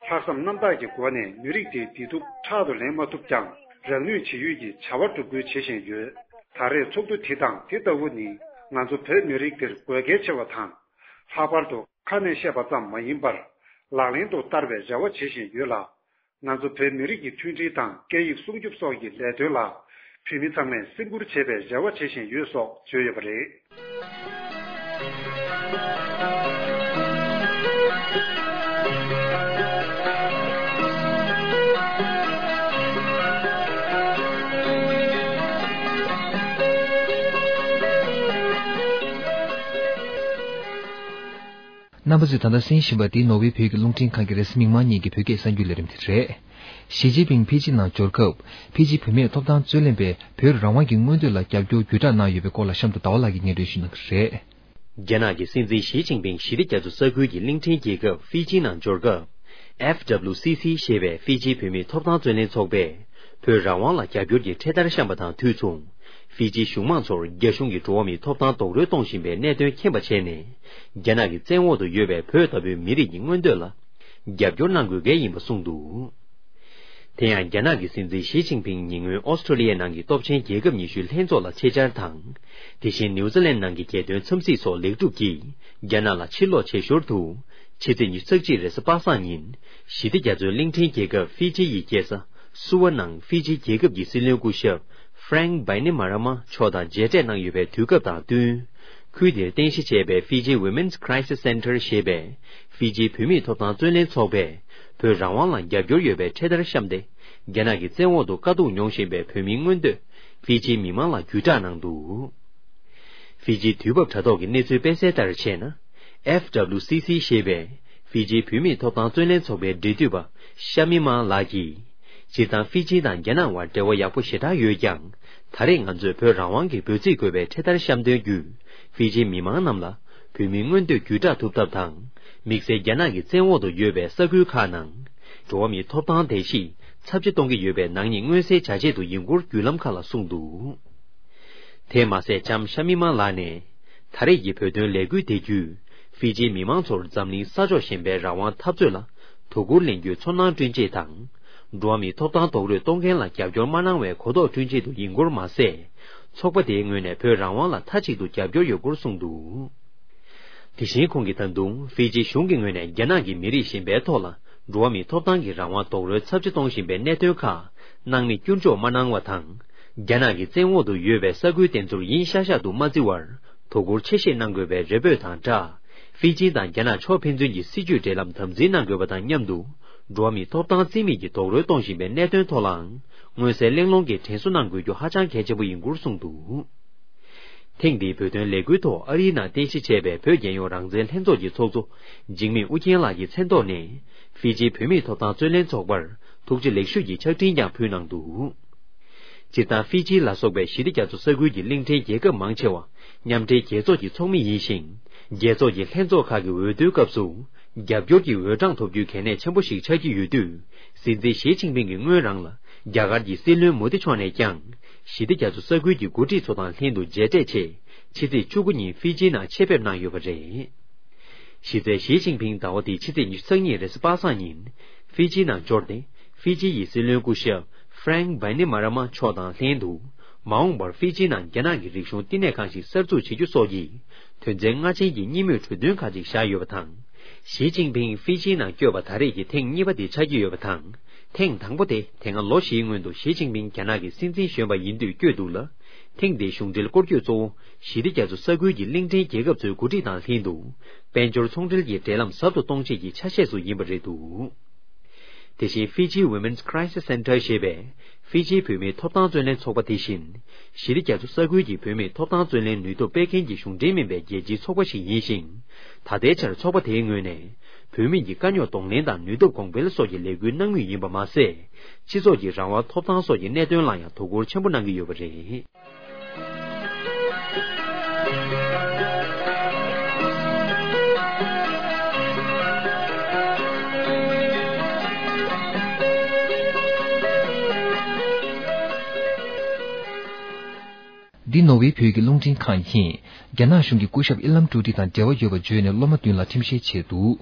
ལྷག་བསམ་རྣམ་དག་གི་སྒོ་ནས་མི་རིགས་དེའི་བདེ་སྡུག་ཕྲག་ཏུ་ལེན་མ་ཐུབ་ཀྱང་། རང་ནུས་ཇི་ཡོད་ཀྱིས་བྱ་བ་སྒྲུབ་སྐུལ་བྱེད་བཞིན་ཡོད། ད་རེས་ཚོགས་འདུ་དེ་དང་དེ་ལྟ་བུ་ནི་ང་ཚོ་བོད་མི་རིགས་འདིར་དགོས་གལ་ཆེ་བ་དང་། ལྷག་པར་དུ་ཁ་ནས་བཤད་པ་ཙམ་མ་ཡིན་པར། ལག་ལེན་དུ་བསྟར་བའི་རེ་བ་བྱེད་བཞིན་ཡོད་ལ། ང་ཚོ་བོད་མི་རིགས་ཀྱི་མཐུན་སྒྲིལ་དང་སྐད་ཡིག་སྲུང་སྐྱོབ་སོགས་ཀྱི་ལས་དོན་ལ་བོད་མི་ཚང་མས་སེམས་ཁུར་བྱེད་པའི་རེ་བ་བྱེད་བཞིན་ཡོད་སོགས་བརྗོད་ཡོད་པ་རེད། རྣམ་པ་ཚོས་ད་ལྟ་གསན་བཞིན་པ་འདི་ནོར་ཝེ་བོད་ཀྱི་རླུང་འཕྲིན་ཁང་གི་རེས་གཟའ་མིག་དམར་ཉིན་གྱི་བོད་སྐད་གསར་འགྱུར་ལས་རིམ་དེ་རེད། ཞི་ཅིན་ཕིང་ཕི་ཇི་ནང་འབྱོར་སྐབས། ཕི་ཇི་བུད་མེད་ཐོབ་ཐང་རྩོད་ལེན་པས་བོད་རང་དབང་གི་མངོན་འདོད་ལ་རྒྱབ་སྐྱོར་བརྒྱུད་བསྒྲགས་གནང་ཡོད་པའི་སྐོར་ལ་གཤམ་དུ་ཟླ་བ་ལགས་ཀྱིས་སྙན་སྒྲོན་ཞུ་གནང་གི་རེད། རྒྱ་ནག་གི་སྲིད་འཛིན་ཞི་ཅིན་ཕིང་ཞི་བདེ་རྒྱ་མཚོ་ས་ཁུལ་གྱི་གླིང་ཕྲན་རྒྱལ་ཁབ་ཕི་ཇི་ནང་འབྱོར་སྐབས། ཨེཕ་ཌབ་ལུ་སི་སི་ཞེས་པའི་ཕི་ཇི་བུད་མེད་ཐོབ་ཐང་རྩོད་ལེན་ཚོགས་པས་བོད་རང་དབང་ལ་རྒྱབ་སྐྱོར་གྱི་འཕྲེད་དར་བཤམས་པ་དང་དུས་མཚུངས། ཧྥི་ཇིའི་གཞུང་མང་ཚོར་རྒྱ་གཞུང་གིས་འགྲོ་བ་མིའི་ཐོབ་ཐང་རྡོག་རོལ་གཏོང་བཞིན་པའི་གནད་དོན་མཁྱེན་པ་བྱས་ནས། རྒྱ་ནག་གི་བཙན་འོག་ཏུ་ཡོད་པའི་བོད་ལྟ་བུའི་མི་རིགས་ཀྱི་མངོན་འདོད་ལ་རྒྱབ་སྐྱོར་གནང་དགོས་གལ་ཡིན་པ་གསུངས་འདུག། དེ་ཡང་རྒྱ་ནག་གི་སྲིད་འཛིན་ཞི་ཅིན་ཕིང་ཉེ་སྔོན་ཨོ་སི་ཀྲོ་ལི་ཡའི་ནང་གི་སྟོབས་ཆེན་རྒྱལ་ཁབ་ཉི་ཤུའི་ལྷན་ཚོགས་ལ་ཆེད་བཅར་དང་། དེ་བཞིན་ནིའུ་ཛི་ལན་ནང་གི་རྒྱལ་དོན་འཚམས་གཟིགས་སོགས་ལེགས་གྲུབ་ཀྱིས་རྒྱ་ནག་ལ་ཕྱིར་ལོག་བྱེད་ཞོར་དུ། ཕྱི་ཚེས་ཉི་ཤུ་རྩ་གཅིག་རེས་གཟའ་པ་སངས་ཉིན། ཞི་བདེ་རྒྱ་མཚོའི་གླིང་ཕྲན་རྒྱལ་ཁབ་ཧྥི་ཇི་ཡི་རྒྱལ་ས་སུ་ཝ་ནང་ཧྥི་ཇི་རྒྱལ་ཁབ་ཀྱི་སྲིད་བློན་སྐུ་ཞབས་Frank Bainimarama མཆོག་དང་མཇལ་འཕྲད་གནང་ཡོད་པའི་དུས་སྐབས་དང་བསྟུན། ཁུལ་དེར་རྟེན་གཞི་བྱས་པའི་Fiji Women's Crisis Center ཞེས་པའི་ཧྥི་ཇིའི་བུད་མེད་ཐོབ་ཐང་བརྩོན་ལེན་ཚོགས་པས། བོད་རང་དབང་ལ་རྒྱབ་སྐྱོར་ཡོད་པའི་འཕྲེད་དར་བཤམས་ཏེ། རྒྱ་ནག་གི་བཙན་འོག་ཏུ་དཀའ་སྡུག་མྱོང་བཞིན་པའི་བོད་མིའི་མངོན་འདོད། ཧྥི་ཇིའི་མི་མང་ལ་བརྒྱུད་བསྒྲགས་གནང་འདུག། ཧྥི་ཇིའི་དུས་བབ་དྲ་ཐོག་གི་གནས་ཚུལ་སྤེལ་གསལ་ལྟར་བྱས་ན། F W C C ཞེས་པའི་ཧྥི་ཇིའི་བུད་མེད་ཐོབ་ཐང་བརྩོན་ལེན་ཚོགས་པའི་འབྲེལ་མཐུད་པ་ཤ་མི་མ་ལགས་ཀྱིས། སྤྱིར་བཏང་ཧྥི་ཇི་དང་རྒྱ་ནག་དབར་འབྲེལ་བ་ཡག་པོ་ཞེ་དྲག་ཡོད་ཀྱང་། ད་རེས་ང་ཚོས་བོད་རང་དབང་གི་འབོད་ཚིག་འཁོད་པའི་འཕྲེད་དར་བཤམས་དོན་བརྒྱུད། ཧྥི་ཇིའི་མི་མང་རྣམས་ལ་བོད་མིའི་མངོན་འདོད་བརྒྱུད་བསྒྲགས་ཐུབ་ཐབས་དང་། དམིགས་བསལ་རྒྱ་ནག་གི་བཙན་འོག་ཏུ་ཡོད་པའི་ས་ཁུལ་ཁག་ནང་འགྲོ་བ་མིའི་ཐོབ་ཐང་བརྡལ་བཤིག་ཚབས་ཆེ་གཏོང་གི་ཡོད་པའི་ནག་ཉེས་མངོན་གསལ་བྱ་ཆེད་དུ་ཡིན་སྐོར་བརྒྱུད་ལམ་ཁག་ལ་གསུངས་འདུག། དེས་མ་ཟད་ལྕམ་ཤ་མི་མ་ལགས་ནས། ད་རེས་ཀྱི་བོད་དོན་ལས་འགུལ་དེ་བརྒྱུད། ཧྥི་ཇིའི་མི་མང་ཚོར་འཛམ་གླིང་ས་ཕྱོགས་གཞན་པའི་རང་དབང་འཐབ་རྩོད་ལ་དོ་ཁུར་ལེན་རྒྱུའི་ཚོར་སྣང་བསྐྲུན་ཆེད་དང་། འགྲོ་བ་མིའི་ཐོབ་ཐང་རྡོག་རོལ་གཏོང་མཁན་ལ་རྒྱབ་སྐྱོར་མ་གནང་བའི་གོ་རྟོགས་བསྐྲུན་ཆེད་དུ་ཡིན་སྐོར་མ་ཟད། ཚོགས་པ་དེའི་ངོས་ནས་བོད་རང་དབང་ལ་མཐའ་གཅིག་ཏུ་རྒྱབ་སྐྱོར་ཡོད་སྐོར་གསུངས་འདུག། དེ་བཞིན་ཁོང་གིས་ད་དུང་ཧྥི་ཇི་གཞུང་གི་ངོས་ནས་རྒྱ་ནག་གི་མི་རིགས་གཞན་པའི་ཐོག་ལ་འགྲོ་བ་མིའི་ཐོབ་ཐང་གི་རང་དབང་རྡོག་རོལ་ཚབས་ཆེ་གཏོང་བཞིན་པའི་གནད་དོན་ཁག་སྣང་མེད་སྐྱུར་འཇོག་མ་གནང་བ་དང་། རྒྱ་ནག་གི་བཙན་འོག་ཏུ་ཡོད་པའི་ས་ཁུལ་དེ་ཚོར་ཡིན་ཤག་ཤག་ཏུ་མ་བརྩི་བར་དོ་ཁུར་ཆེ་བཞེས་གནང་དགོས་པའི་རེ་འབོད་དང་སྦྲགས། ཧྥི་ཇི་དང་རྒྱ་ནག་ཕྱོགས་ཕན་ཚུན་གྱི་སྲིད་ཇུས་འབྲེལ་ལམ་དམ་འཛིན་གནང་དགོས་པ་དང་མཉམ་དུ། འགྲོ་བ་མིའི་ཐོབ་ཐང་རྩིས་མེད་ཀྱིས་རྡོག་རོལ་གཏོང་བཞིན་པའི་གནད་དོན་ཐོག་ལའང་མངོན་གསལ་གླེང་སློང་གིས་དྲན་གསོ་གནང་དགོས་རྒྱུ་ཧ་ཅང་གལ་ཆེན་པོ་ཡིན་སྐོར་གསུངས་འདུག། ཐེངས་འདིའི་བོད་དོན་ལས་འགུལ་ཐོག་ཨ་རིའི་ནང་རྟེན་གཞི་བྱས་པའི་བོད་རྒྱལ་ཡོངས་རང་བཙན་ལྷན་ཚོགས་ཀྱི་ཚོགས་གཙོ་འཇིགས་མེད་ཨུ་རྒྱན་ལགས་ཀྱི་མཚན་ཐོག་ནས་ཧྥི་ཇིའི་བུད་མེད་ཐོབ་ཐང་རྩོད་ལེན་ཚོགས་པར་ཐུགས་རྗེ་ལེགས་ཞུ་ཡི་ཕྱག་འཕྲིན་ཀྱང་ཕུལ་གནང་འདུག། སྤྱིར་བཏང་ཧྥི་ཇི་ལ་སོགས་པའི་ཞི་བདེ་རྒྱ་མཚོ་ས་ཁུལ་གྱི་གླིང་ཕྲན་རྒྱལ་ཁབ་མང་ཆེ་བ་མཉམ་འབྲེལ་རྒྱལ་ཚོགས་ཀྱི་ཚོགས་མི་ཡིན་ཞིང་། རྒྱལ་ཚོགས་ཀྱི་ལྷན་ཚོགས་ཁག་གི་འོས་བསྡུའི་སྐབས་སུ་རྒྱབ་སྐྱོར་གྱི་འོས་གྲངས་ཐོབ་རྒྱུའི་གལ་གནད་ཆེན་པོ་ཞིག་ཆགས་ཀྱི་ཡོད་དུས། སྲིད་འཛིན་ཞི་ཅིན་ཕིང་གིས་སྔོན་རང་ལ་རྒྱ་གར་གྱི་སྲིད་བློན་མོ་དི་མཆོག་ནས་ཀྱང་ཞི་བདེ་རྒྱ་མཚོ་ས་ཁུལ་གྱི་འགོ་ཁྲིད་ཚོ་དང་ལྷན་དུ་མཇལ་འཕྲད་ཆེད་ཕྱི་ཚེས་བཅུ་དགུ་ཉིན་ཧྥི་ཇི་ནང་ཆེད་ཕེབས་གནང་ཡོད་པ་རེད། གཞི་རྩའི་ཞི་ཅིན་ཕིང་ཟླ་བ་འདིའི་ཕྱི་ཚེས་ཉི་ཤུ་རྩ་གཉིས་རེས་གཟའ་པ་སངས་ཉིན་ཧྥི་ཇི་ནང་འབྱོར་ཏེ། ཧྥི་ཇི་ཡི་སྲིད་བློན་སྐུ་ཞབས་Frank Bainimarama མཆོག་དང་ལྷན་དུ། མ་འོངས་པར་ཧྥི་ཇི་ནང་རྒྱ་ནག་གི་རིག་གཞུང་བསྟི་གནས་ཁང་ཞིག་གསར་འཛུགས་བྱེད་རྒྱུ་སོགས་ཀྱི་དོན་ཚན་ལྔ་ཅན་གྱི་གཉིས་མོས་གྲོས་མཐུན་ཁག་ཅིག་བཞག་ཡོད་པ་དང་། ཞི་ཅིན་ཕིང་ཧྥི་ཇི་ནང་བསྐྱོད་པ་ད་རེས་ཀྱི་ཐེངས་གཉིས་པ་དེ་ཆགས་ཀྱི་ཡོད་པ་དང་། ཐེངས་དང་པོ་དེ་དེ་སྔ་ལོ་བཞིའི་སྔོན་དུ་ཞི་ཅིན་ཕིང་རྒྱ་ནག་གི་སྲིད་འཛིན་གཞོན་པ་ཡིན་དུས་བསྐྱོད་འདུག་ལ། ཐེངས་འདིའི་གཞུང་འབྲེལ་སྐོར་སྐྱོད་གཙོ་བོ་ཞི་བདེ་རྒྱ་མཚོ་ས་ཁུལ་གྱི་གླིང་ཕྲན་རྒྱལ་ཁབ་ཚོའི་འགོ་ཁྲིད་དང་ལྷན་དུ། དཔལ་འབྱོར་ཚོང་འབྲེལ་གྱི་འབྲེལ་ལམ་ཟབ་ཏུ་གཏོང་ཆེད་ཀྱི་ཆ་ཤས་སུ་ཡིན་པ་རེད་འདུག། དེ་བཞིན་Fiji Women's Crisis Center ཞེས་པའི་ཧྥི་ཇིའི་བུད་མེད་ཐོབ་ཐང་རྩོད་ལེན་ཚོགས་པ་དེ་བཞིན། ཞི་བདེ་རྒྱ་མཚོ་ས་ཁུལ་གྱི་བུད་མེད་ཐོབ་ཐང་རྩོད་ལེན་ནུས་སྟོབས་སྤེལ་མཁན་གྱི་གཞུང་འབྲེལ་མིན་པའི་རྒྱལ་སྤྱིའི་ཚོགས་པ་ཞིག་ཡིན་ཞིང་། ད་ལྟའི་ཆར་ཚོགས་པ་དེའི་ངོས་ནས་བུད་མེད་ཀྱི་དཀའ་རྙོག་གདོང་ལེན་དང་ནུས་སྟོབས་གོང་འཕེལ་སོགས་ཀྱི་ལས་འགུལ་གནང་མུས་ཡིན་པ་མ་ཟད། སྤྱི་ཚོགས་ཀྱི་རང་དབང་ཐོབ་ཐང་སོགས་ཀྱི་གནད་དོན་ལ་ཡང་དོ་ཁུར་ཆེན་པོ་གནང་གི་ཡོད་པ་རེད། འདི་ནོར་ཝེ་བོད་ཀྱི་རླུང་འཕྲིན་ཁང་ཡིན། རྒྱ་ནག་གཞུང་གིས་སྐུ་ཞབས་ཨི་ལམ་ཀྲོ་ཏི་དང་འབྲེལ་བ་ཡོད་པ་བརྗོད་ནས་སློབ་མ་བདུན་ལ་ཁྲིམས་བཤེར་བྱས་འདུག།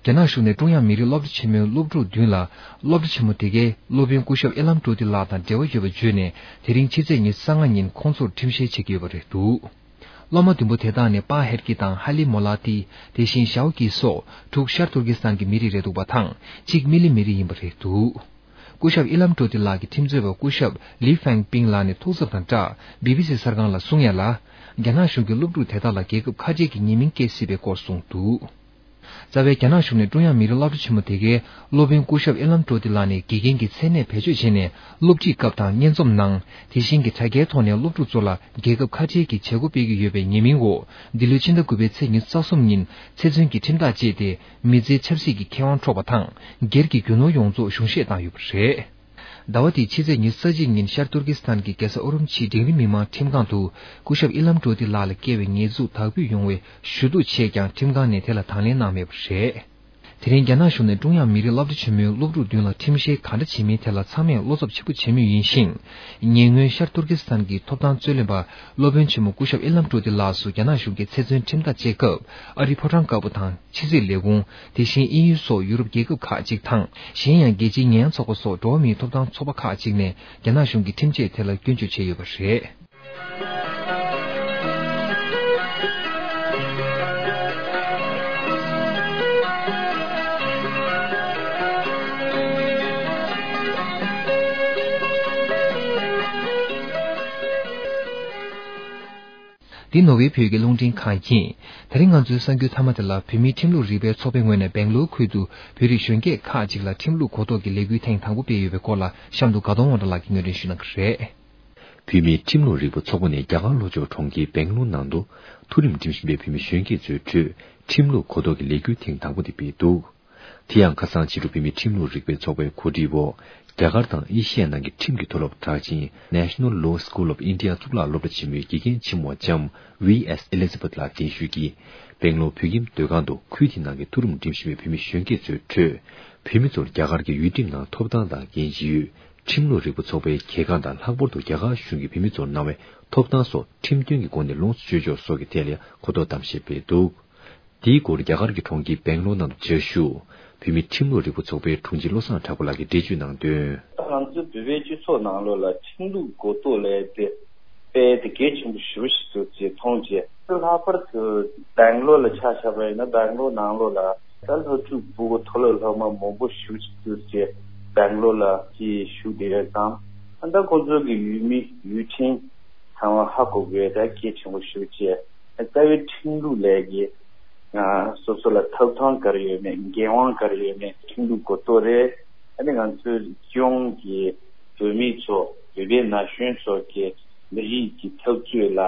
རྒྱ་ནག་གཞུང་ནས་ཀྲུང་དབྱང་མི་རིགས་སློབ་གྲྭ་ཆེན་མོའི་སློབ་ཕྲུག་བདུན་ལ། སློབ་གྲྭ་ཆེན་མོ་དེ་གའི་སློབ་དཔོན་སྐུ་ཞབས་ཨི་ལམ་ཀྲོ་ཏི་ལགས་དང་འབྲེལ་བ་ཡོད་པ་བརྗོད་ནས། དེ་རིང་ཕྱི་ཚེས་ཉི་ཤུ་རྩ་ལྔ་ཉིན་ཁོང་ཚོར་ཁྲིམས་བཤེར་བྱེད་ཀྱི་ཡོད་པ་རེད་འདུག། སློབ་མ་བདུན་པོ་དེ་དག་ནི་པཱ་ཧེར་ཀི་དང་ཧ་ལི་མོ་ལ་ཏི། དེ་བཞིན་ཞའོ་ཀི་སོགས་དྲུག་ཤར་ཏུར་ཀི་སི་ཐན་གྱི་མི་རིགས་རེད་འདུག་པ་དང་། གཅིག་མི་ལི་མི་རིགས་ཡིན་པ་རེད་འདུག། སྐུ་ཞབས་ཨི་ལམ་ཀྲོ་ཏི་ལགས་ཀྱི་ཁྲིམས་རྩོད་པ་སྐུ་ཞབས་ལི་ཧྥེང་པིང་ལགས་ནས་ཐུགས་འཚབ་དང་སྦྲགས། བི་བི་སི་གསར་ཁང་ལ་གསུང་ཡ་ལ། རྒྱ་ནག་གཞུང་གིས་སློབ་ཕྲུག་དེ་དག་ལ་རྒྱལ་ཁབ་ཁ་བྲལ་གྱི་ཉེས་མིང་བཀལ་སྲིད་པའི་སྐོར་གསུངས་འདུག། རྩ་བའི་རྒྱ་ནག་གཞུང་ནས་ཀྲུང་དབྱང་མི་རིགས་སློབ་གྲྭ་ཆེན་མོ་དེ་གའི་སློབ་དཔོན་སྐུ་ཞབས་ཨི་ལམ་ཀྲོ་ཏི་ལགས་ནས་དགེ་རྒན་གྱི་མཚན་གནས་བེད་སྤྱོད་བྱས་ནས་སློབ་ཁྲིད་སྐབས་དང་སྙན་རྩོམ་གནང་། དེ་བཞིན་གྱི་དྲ་རྒྱའི་ཐོག་ནས་སློབ་ཕྲུག་ཚོ་ལ་རྒྱལ་ཁབ་ཁ་བྲལ་གྱི་བྱེད་སྒོ་སྤེལ་གྱི་ཡོད་པའི་ཉེས་མིང་འོག་འདི་ལོའི་ཕྱི་ཟླ་དགུ་པའི་ཚེས་ཉི་ཤུ་རྩ་གསུམ་ཉིན་ཚེ་བཙོན་གྱི་ཁྲིམས་ཐག་བཅད་དེ། མི་ཚེའི་ཆབ་སྲིད་ཀྱི་ཁེ་དབང་འཕྲོག་པ་དང་། སྒེར་གྱི་རྒྱུ་ནོར་ཡོངས་རྫོགས་གཞུང་བཞེས་བཏང་ཡོད་པ་རེད། ཟླ་བ་འདིའི་ཕྱི་ཚེས་ཉི་ཤུ་རྩ་གཅིག་ཉིན་ཤར་ཏུར་ཀི་སི་ཐན་གྱི་རྒྱལ་ས་ཨུ་རུམ་ཆིའི་འབྲིང་རིམ་མི་མང་ཁྲིམས་ཁང་དུ་སྐུ་ཞབས་ཨི་ལམ་ཀྲོ་ཏི་ལགས་ལ་བཀལ་བའི་ཉེས་འཛུགས་དག་འབུད་ཡོང་བའི་ཞུ་གཏུག་བྱས་ཀྱང་ཁྲིམས་ཁང་ནས་དེ་ལ་དང་ལེན་གནང་མེད་པ་རེད། དེ་རིང་རྒྱ་ནག་གཞུང་ནས་ཀྲུང་དབྱང་མི་རིགས་སློབ་གྲྭ་ཆེན་མོའི་སློབ་ཕྲུག་མདུན་ལ་ཁྲིམས་བཤེར་ག་འདྲ་བྱེད་མིན་ཐད་ལ་ཚང་མས་བློ་འཚབ་ཆེན་པོ་བྱེད་མུས་ཡིན་ཞིང་། ཉེ་སྔོན་ཤར་ཏུར་ཀི་སི་ཐན་གྱི་ཐོབ་ཐང་རྩོད་ལེན་པ་སློབ་དཔོན་ཆེན་མོ་སྐུ་ཞབས་ཨི་ལམ་ཀྲོ་ཏི་ལགས་སུ་རྒྱ་ནག་གཞུང་གིས་ཚེ་བཙོན་ཁྲིམས་ཐག་བཅད་སྐབས། ཨ་རིའི་ཕོ་བྲང་དཀར་པོ་དང་ཕྱི་སྲིད་ལས་ཁུངས། དེ་བཞིན་དབྱིན་ཡུལ་སོགས་ཡུ་རོབ་རྒྱལ་ཁབ་ཁག་ཅིག་དང་། གཞན་ཡང་རྒྱལ་སྤྱིའི་ཉེས་ཡངས་ཚོགས་པ་སོགས་འགྲོ་བ་མིའི་ཐོབ་ཐང་ཚོགས་པ་ཁག་ཅིག་ནས་རྒྱ་ནག་གཞུང་གི་ཁྲིམས་ཆད་ཐད་ལ་སྐྱོན་བརྗོད་བྱས་ཡོད་པ་རེད། འདི་ནོར་ཝེ་བོད་ཀྱི་རླུང་འཕྲིན་ཁང་ཡིན། དེ་རིང་ང་ཚོའི་གསར་འགྱུར་མཐའ་མ་དེ་ལ། བོད་མིའི་ཁྲིམས་ལུགས་རིག་པའི་ཚོགས་པའི་ངོས་ནས་སྦེང་ལོར་ཁུལ་དུ་བོད་རིགས་གཞོན་སྐྱེས་ཁག་ཅིག་ལ་ཁྲིམས་ལུགས་གོ་རྟོགས་ཀྱི་ལས་འགུལ་ཐེངས་དང་པོ་སྤེལ་ཡོད་པའི་སྐོར་ལ། གཤམ་དུ་དགའ་གདོང་དབང་གྲགས་ལགས་ཀྱིས་སྙན་སྒྲོན་ཞུ་གནང་གི་རེད། བོད་མིའི་ཁྲིམས་ལུགས་རིག་པ་ཚོགས་པ་ནས་རྒྱ་གར་ལྷོ་ཕྱོགས་གྲོང་ཁྱེར་སྦེང་ལོར་ནང་དུ་མཐོ་རིམ་འགྲིམ་བཞིན་པའི་བོད་མི་གཞོན་སྐྱེས་ཚོའི་ཁྲོད་ཁྲིམས་ལུགས་གོ་རྟོགས་ཀྱི་ལས་འགུལ་ཐེངས་དང་པོ་དེ་སྤེལ་འདུག། དེ་ཡང་ཁ་སང་ཕྱི་དྲོ་བོད་མིའི་ཁྲིམས་ལུགས་རིག་པའི་ཚོགས་པའི་གོ་སྒྲིག་འོག་རྒྱ་གར་དང་ཨེ་ཤི་ཡའི་ནང་གི་ཁྲིམས་ཀྱི་མཐོ་སློབ་གྲགས་ཅན་National Law School of India གཙུག་ལག་སློབ་གྲྭ་ཆེན་མོའི་དགེ་རྒན་ཆེན་མོ་ལྕམ་ཝི་ཨེས་ཨེ་ལི་ཛ་བྷེཐ་ལགས་གདན་ཞུས་ཀྱིས། སྦེང་ལོར་བོད་ཁྱིམ་སྡོད་ཁང་དུ་ཁུལ་དེའི་ནང་གི་མཐོ་རིམ་འགྲིམ་བཞིན་པའི་བོད་མི་གཞོན་སྐྱེས་ཚོའི་ཁྲོད། བོད་མི་ཚོར་རྒྱ་གར་གྱི་ཡུལ་ཁྲིམས་ནང་ཐོབ་ཐང་དང་འགན་བཞེས་ཡོད། ཁྲིམས་ལུགས་རིག་པ་ཚོགས་པའི་གྱེས་ཁ་དང་། ལྷག་པར་དུ་རྒྱ་གར་གཞུང་གིས་བོད་མི་ཚོར་གནང་བའི་ཐོབ་ཐང་སོགས་ཁྲིམས་མཐུན་གྱི་སྒོ་ནས་ལོངས་སུ་སྤྱོད་ཕྱོགས་སོགས་ཀྱི་ཐད་ལ་གོ་རྟོགས་གཏམ་བཤད་སྤེལ་འདུག། དེའི་སྐོར་རྒྱ་གར་གྱི་གྲོང་ཁྱེར་སྦེང་ལོར་ནང་དུ་བཅའ་བཞུགས་བོད་མིའི་ཁྲིམས་ལུགས་རིག་པ་ཚོགས་པའི་དྲུང་ཆེ་བློ་བཟང་གྲགས་པ་ལགས་ཀྱིས་འགྲེལ་བརྗོད་གནང་དོན། ང་ཚོའི་བོད་པའི་སྤྱི་ཚོགས་ནང་ལོགས་ལ་ཁྲིམས་ལུགས་གོ་རྟོགས་ལས་དེ་དཔེ་དེ་གལ་ཆེན་པོ་ཞེ་པོ་ཞིག་འདུག་ཅེས་མཐོང་རྗེས། ལྷག་པར་དུ་སྦེང་ལོར་ལ་ཆ་བཞག་པ་ཡིན་ན། སྦེང་ལོར་ནང་ལོགས་ལ་ད་སློབ་ཕྲུག་ཕྲུ་གུ་མཐོ་སློབ་སློབ་མ་མང་པོ་ཞེ་པོ་ཞིག་འདུག་ཅེས། སྦེང་ལོར་ལ་ཅིག་བཞུགས་བསྡད་ཡོད་ཙང་། ད་ཁོང་ཚོ་གི་ཡུལ་མི་ཡུལ་ཁྲིམས་ཚང་མ་ཧ་གོ་དགོས་ད་གལ་ཆེན་པོ་ཞེ་པོ་ཅིག། རྩ་བའི་ཁྲིམས་ལུགས་ལས་ཀྱི་ང་སོ་སོ་ལ་ཐོབ་ཐང་ག་རེ་ཡོད་མེད། འགན་དབང་ག་རེ་ཡོད་མེད། ཁྲིམས་ལུགས་གོ་རྟོགས་རེད། ཨ་ནི་ང་ཚོའི་སྤྱི་ཡོངས་ཀྱི་བོད་མི་ཚོ། བོད་པའི་ན་གཞོན་ཚོ་གི་མི་རིགས་ཀྱི་འཐབ་རྩོད་ལ་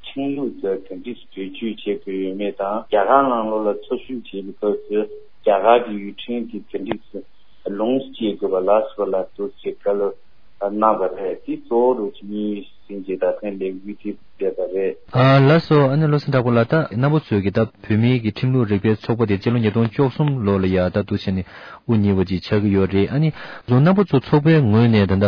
ཁྲིམས་ལུགས་དེ་ག་འདྲས་བེད་སྤྱོད་བྱེད་དགོས་ཡོད་མེད་དང་། རྒྱ་གར་ནང་ལོགས་ལ་འཚོ་བཞུགས་བྱེད་པའི་སྐབས་སུ་རྒྱ་གར་གྱི་ཡུལ་ཁྲིམས་དེ་ག་འདྲས་ལོངས་སུ་སྤྱད་དགོས་པ་ལ་སོགས་ལ་འདུག་ཅེས་བཀའ་སློབ་གནང་བ་རེད། དེ་གཙོ་བོ་རུ་ཅིག་ནི་ཟིན་བྱས་ད་ཐེངས་ལས་འགུལ་དེ་སྤེལ་བ་རེད། ཨ་ལགས་སོ། ཨ་ནི་བློ་བཟང་གྲགས་པ་ལགས། ད་རྣམ་པ་ཚོས་ཀྱིས་ད་བོད་མིའི་གི་ཁྲིམས་ལུགས་རིག་པའི་ཚོགས་པ་དེ་སྤྱི་ལོ་ཉིས་སྟོང་བཅུ་གསུམ་ལོ་ལ་ཡ་ད་འདུག་བྱས་ནས་དབུ་བརྙེས་པ་ཅིག་ཆགས་ཀྱི་ཡོད་རེད། ཨ་ནི་རྣམ་པ་ཚོ་ཚོགས་པའི་ངོས་ནས་ད་ལྟ་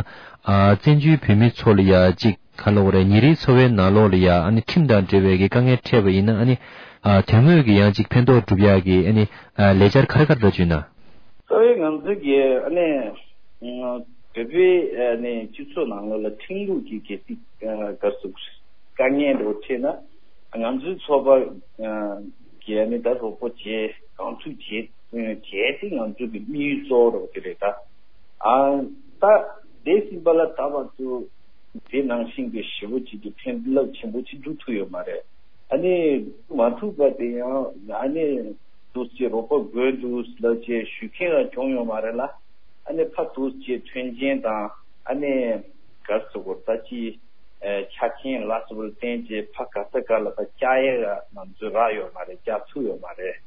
ཨ་བཙན་བྱོལ་བོད་མི་ཚོ་ལ་ཡ་ཅིག་ག་ལབ་དགོས་རེད། ཉིན་རེའི་འཚོ་བའི་ནང་ལོགས་ལ་ཡ་ཨ་ནི་ཁྲིམས་དང་འབྲེལ་བའི་གི་དཀའ་ངལ་འཕྲད་པ་ཡིན་ན། ཨ་ནི་ཨ་དོན་དངོས་ཀྱི་ཡང་ཅིག་ཕན་ཐོགས་སྒྲུབ་ཡག་གི་ཨ་ནི་ཨ་ལས་འཆར་ག་རེ་ག་རེ་འདྲ་བྱུང་ན། རྩ་བའི་ང་ཚོ་གི་ཨ་ནི་བོད་པའི་ཨ་ནི་སྤྱི་ཚོགས་ནང་ལོགས་ལ་ཁྲིམས་ལུགས་ཀྱི་གལ་སྲིད་ག་ཟེར་དཀའ་ངལ་འདྲ་བོ་འཕྲད་ན། ང་ཚོའི་ཚོགས་པ་གི་ཨ་ནི་ད་རོགས་པ་བྱེད། གང་ཐུབ་བྱེད་བྱས་ཏེ་ང་ཚོ་གི་དམིགས་ཡུལ་གཙོ་བོ་རོགས་དེ་རེད། ད་ཨ་ད་འདས་ཟིན་པ་ལ་ད་བར་དུ་དེ་ནང་བཞིན་གྱི་ཞེ་པོ་ཅིག་གི་ཕན་རླབས་ཆེན་པོ་ཅིག་འགྲོ་ཐུབ་ཡོད་མ་རེད། ཨ་ནི་མ་ཐུབ་པ་དེ་ཡང་ཨ་ནི་འདུག་སེ་རོགས་པ་དགོས་འདུག་ལབ་བྱས་ཞུ་མཁན་ཡང་བྱུང་ཡོད་མ་རེད་ལ། ཨ་ནི་ཕར་འདུག་སེ་མཐུན་རྐྱེན་དང་ཨ་ནི་ག་རེ་ཟེར་དགོས་རེད། ད་ཅིག་ཨ་ཆ་རྐྱེན་ལ་སོགས་པ་ལ་བརྟེན་བྱས་ཕར་ག་ས་ག་ལ་ཕར་བཅར་ཡས་ང་ཚོས་རག་ཡོད་མ་རེད། བཅར་ཐུབ་ཡོད་མ་རེད།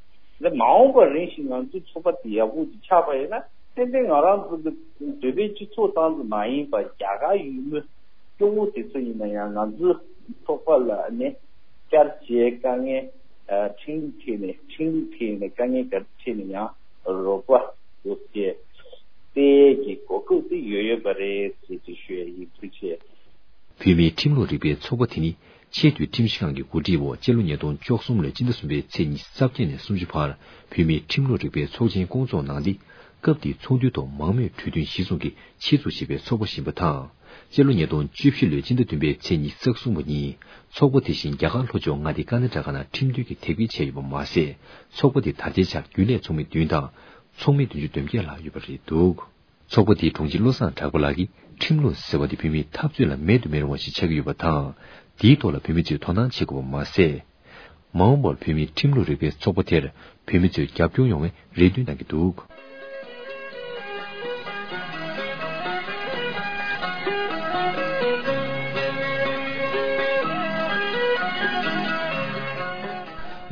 འདི་མ་འོངས་པར་རིང་ཞིག་ང་ཚོའི་ཚོགས་པ་དེ་ཡག་པོ་ཅིག་ཆགས་པ་ཡིན་ན། ཏན་ཏན་ང་རང་ཚོ་གི་བོད་པའི་སྤྱི་ཚོགས་ཙམ་དུ་མ་ཡིན་པར་རྒྱ་གར་ཡུལ་མི་སྐྱོ་བོ་དེ་ཚོ་ཡིན་ན་ཡང་ང་ཚོའི་ཚོགས་པ་ལ་ནི་བསྐྱར་བཅོས་དཀའ་ངལ། ཨ་ཁྲིམས་ལུགས་ཐད་ནས་ཁྲིམས་ལུགས་ཐད་ནས་དཀའ་ངལ་ག་རེ་འཕྲད་ན་ཡང་རོགས་པ་བཟོ་སྤེལ་གྱི་གོ་སྐབས་དེ་ཡོད་ཡོད་པ་རེད་ཟེར་ཅིག་ཞུ་ཡ་ཡིན། ཐུགས་རྗེ་ཆེ། བོད་མིའི་ཁྲིམས་ལུགས་རིག་པའི་ཚོགས་པ་དེ་ནི་ཆེས་མཐོའི་ཁྲིམས་ཞིབ་ཁང་གི་གོ་སྒྲིག་འོག་སྤྱི་ལོ་ཉིས་སྟོང་བཅུ་གསུམ་ལོའི་སྤྱི་ཟླ་གསུམ་པའི་ཚེས་ཉི་ཤུ་རྩ་བརྒྱད་ནས་སུམ་ཅུ་བར་བོད་མིའི་ཁྲིམས་ལུགས་རིག་པའི་ཚོགས་ཆེན་སྐོང་ཚོགས་གནང་སྟེ། སྐབས་དེའི་ཚོགས་འདུའི་ཐོག་མང་མོས་གྲོས་མཐུན་གཞིར་བཟུང་གིས་ཆེད་འཛུགས་བྱས་པའི་ཚོགས་པ་ཞིག་ཡིན་པ་དང་། སྤྱི་ལོ་ཉིས་སྟོང་བཅུ་བཞི་ལོའི་སྤྱི་ཟླ་བདུན་པའི་ཚེས་ཉི་ཤུ་རྩ་གསུམ་པ་ཉིན་ཚོགས་པ་དེ་བཞིན་རྒྱ་གར་ལྷོ་ཕྱོགས་མངའ་སྡེ་ཀར་ནཱ་ཊ་ཀ་ནང་ཁྲིམས་མཐུན་གྱི་དེབ་སྐྱེལ་བྱས་ཡོད་པ་མ་ཟད། ཚོགས་པ་དེ་ད་ལྟའི་ཆར་རྒྱུན་ལས་ཚོགས་མི་བདུན་དང་ཚོགས་མི་བདུན་ཅུ་དོན་བརྒྱད་ལྷག་ཡོད་པ་རེད་འདུག། ཚོགས་པ་དེའི་དྲུང་ཆེ་བློ་བཟང་གྲགས་པ་ལགས་ཀྱིས་ཁྲིམས་ལུགས་ཟེར་བ་དེ་བོད་མིའི་འཐབ་རྩོད་ལ་མེད་དུ་མི་རུང་བ་ཞིག་ཆགས་ཀྱི་ཡོད་པ་དང་། དེའི་ཐོག་ལ་བོད་མི་ཚོས་དོ་སྣང་བྱེད་དགོས་པ་མ་ཟད། མ་འོངས་པར་བོད་མིའི་ཁྲིམས་ལུགས་རིག་པའི་ཚོགས་པ་དེར་བོད་མི་ཚོས་རྒྱབ་སྐྱོར་ཡོང་བའི་རེ་འདུན་གནང་གི་འདུག།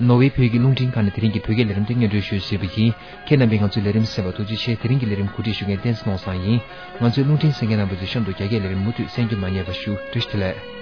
ནོར་ཝེ་བོད་ཀྱི་རླུང་འཕྲིན་ཁང་ནས་དེ་རིང་གི་བོད་སྐད་ལས་རིམ་དེ་སྙན་སྒྲོན་ཞུས་ཟིན་པ་ཡིན། ཁྱེད་རྣམ་པས་ང་ཚོའི་ལས་རིམ་གསན་པར་ཐུགས་རྗེ་ཆེ། དེ་རིང་གི་ལས་རིམ་གོ་སྒྲིག་ཞུ་མཁན་བསྟན་འཛིན་ནོར་བཟང་ཡིན། ང་ཚོའི་རླུང་འཕྲིན་གསན་མཁན་རྣམ་པ་ཚོས་གཤམ་དུ་རྒྱ་སྐད་ལས་རིམ་མུ་མཐུད་གསན་རྒྱུ་མ་བསྙེལ་བ་ཞུ། བཀྲ་ཤིས་བདེ་ལེགས།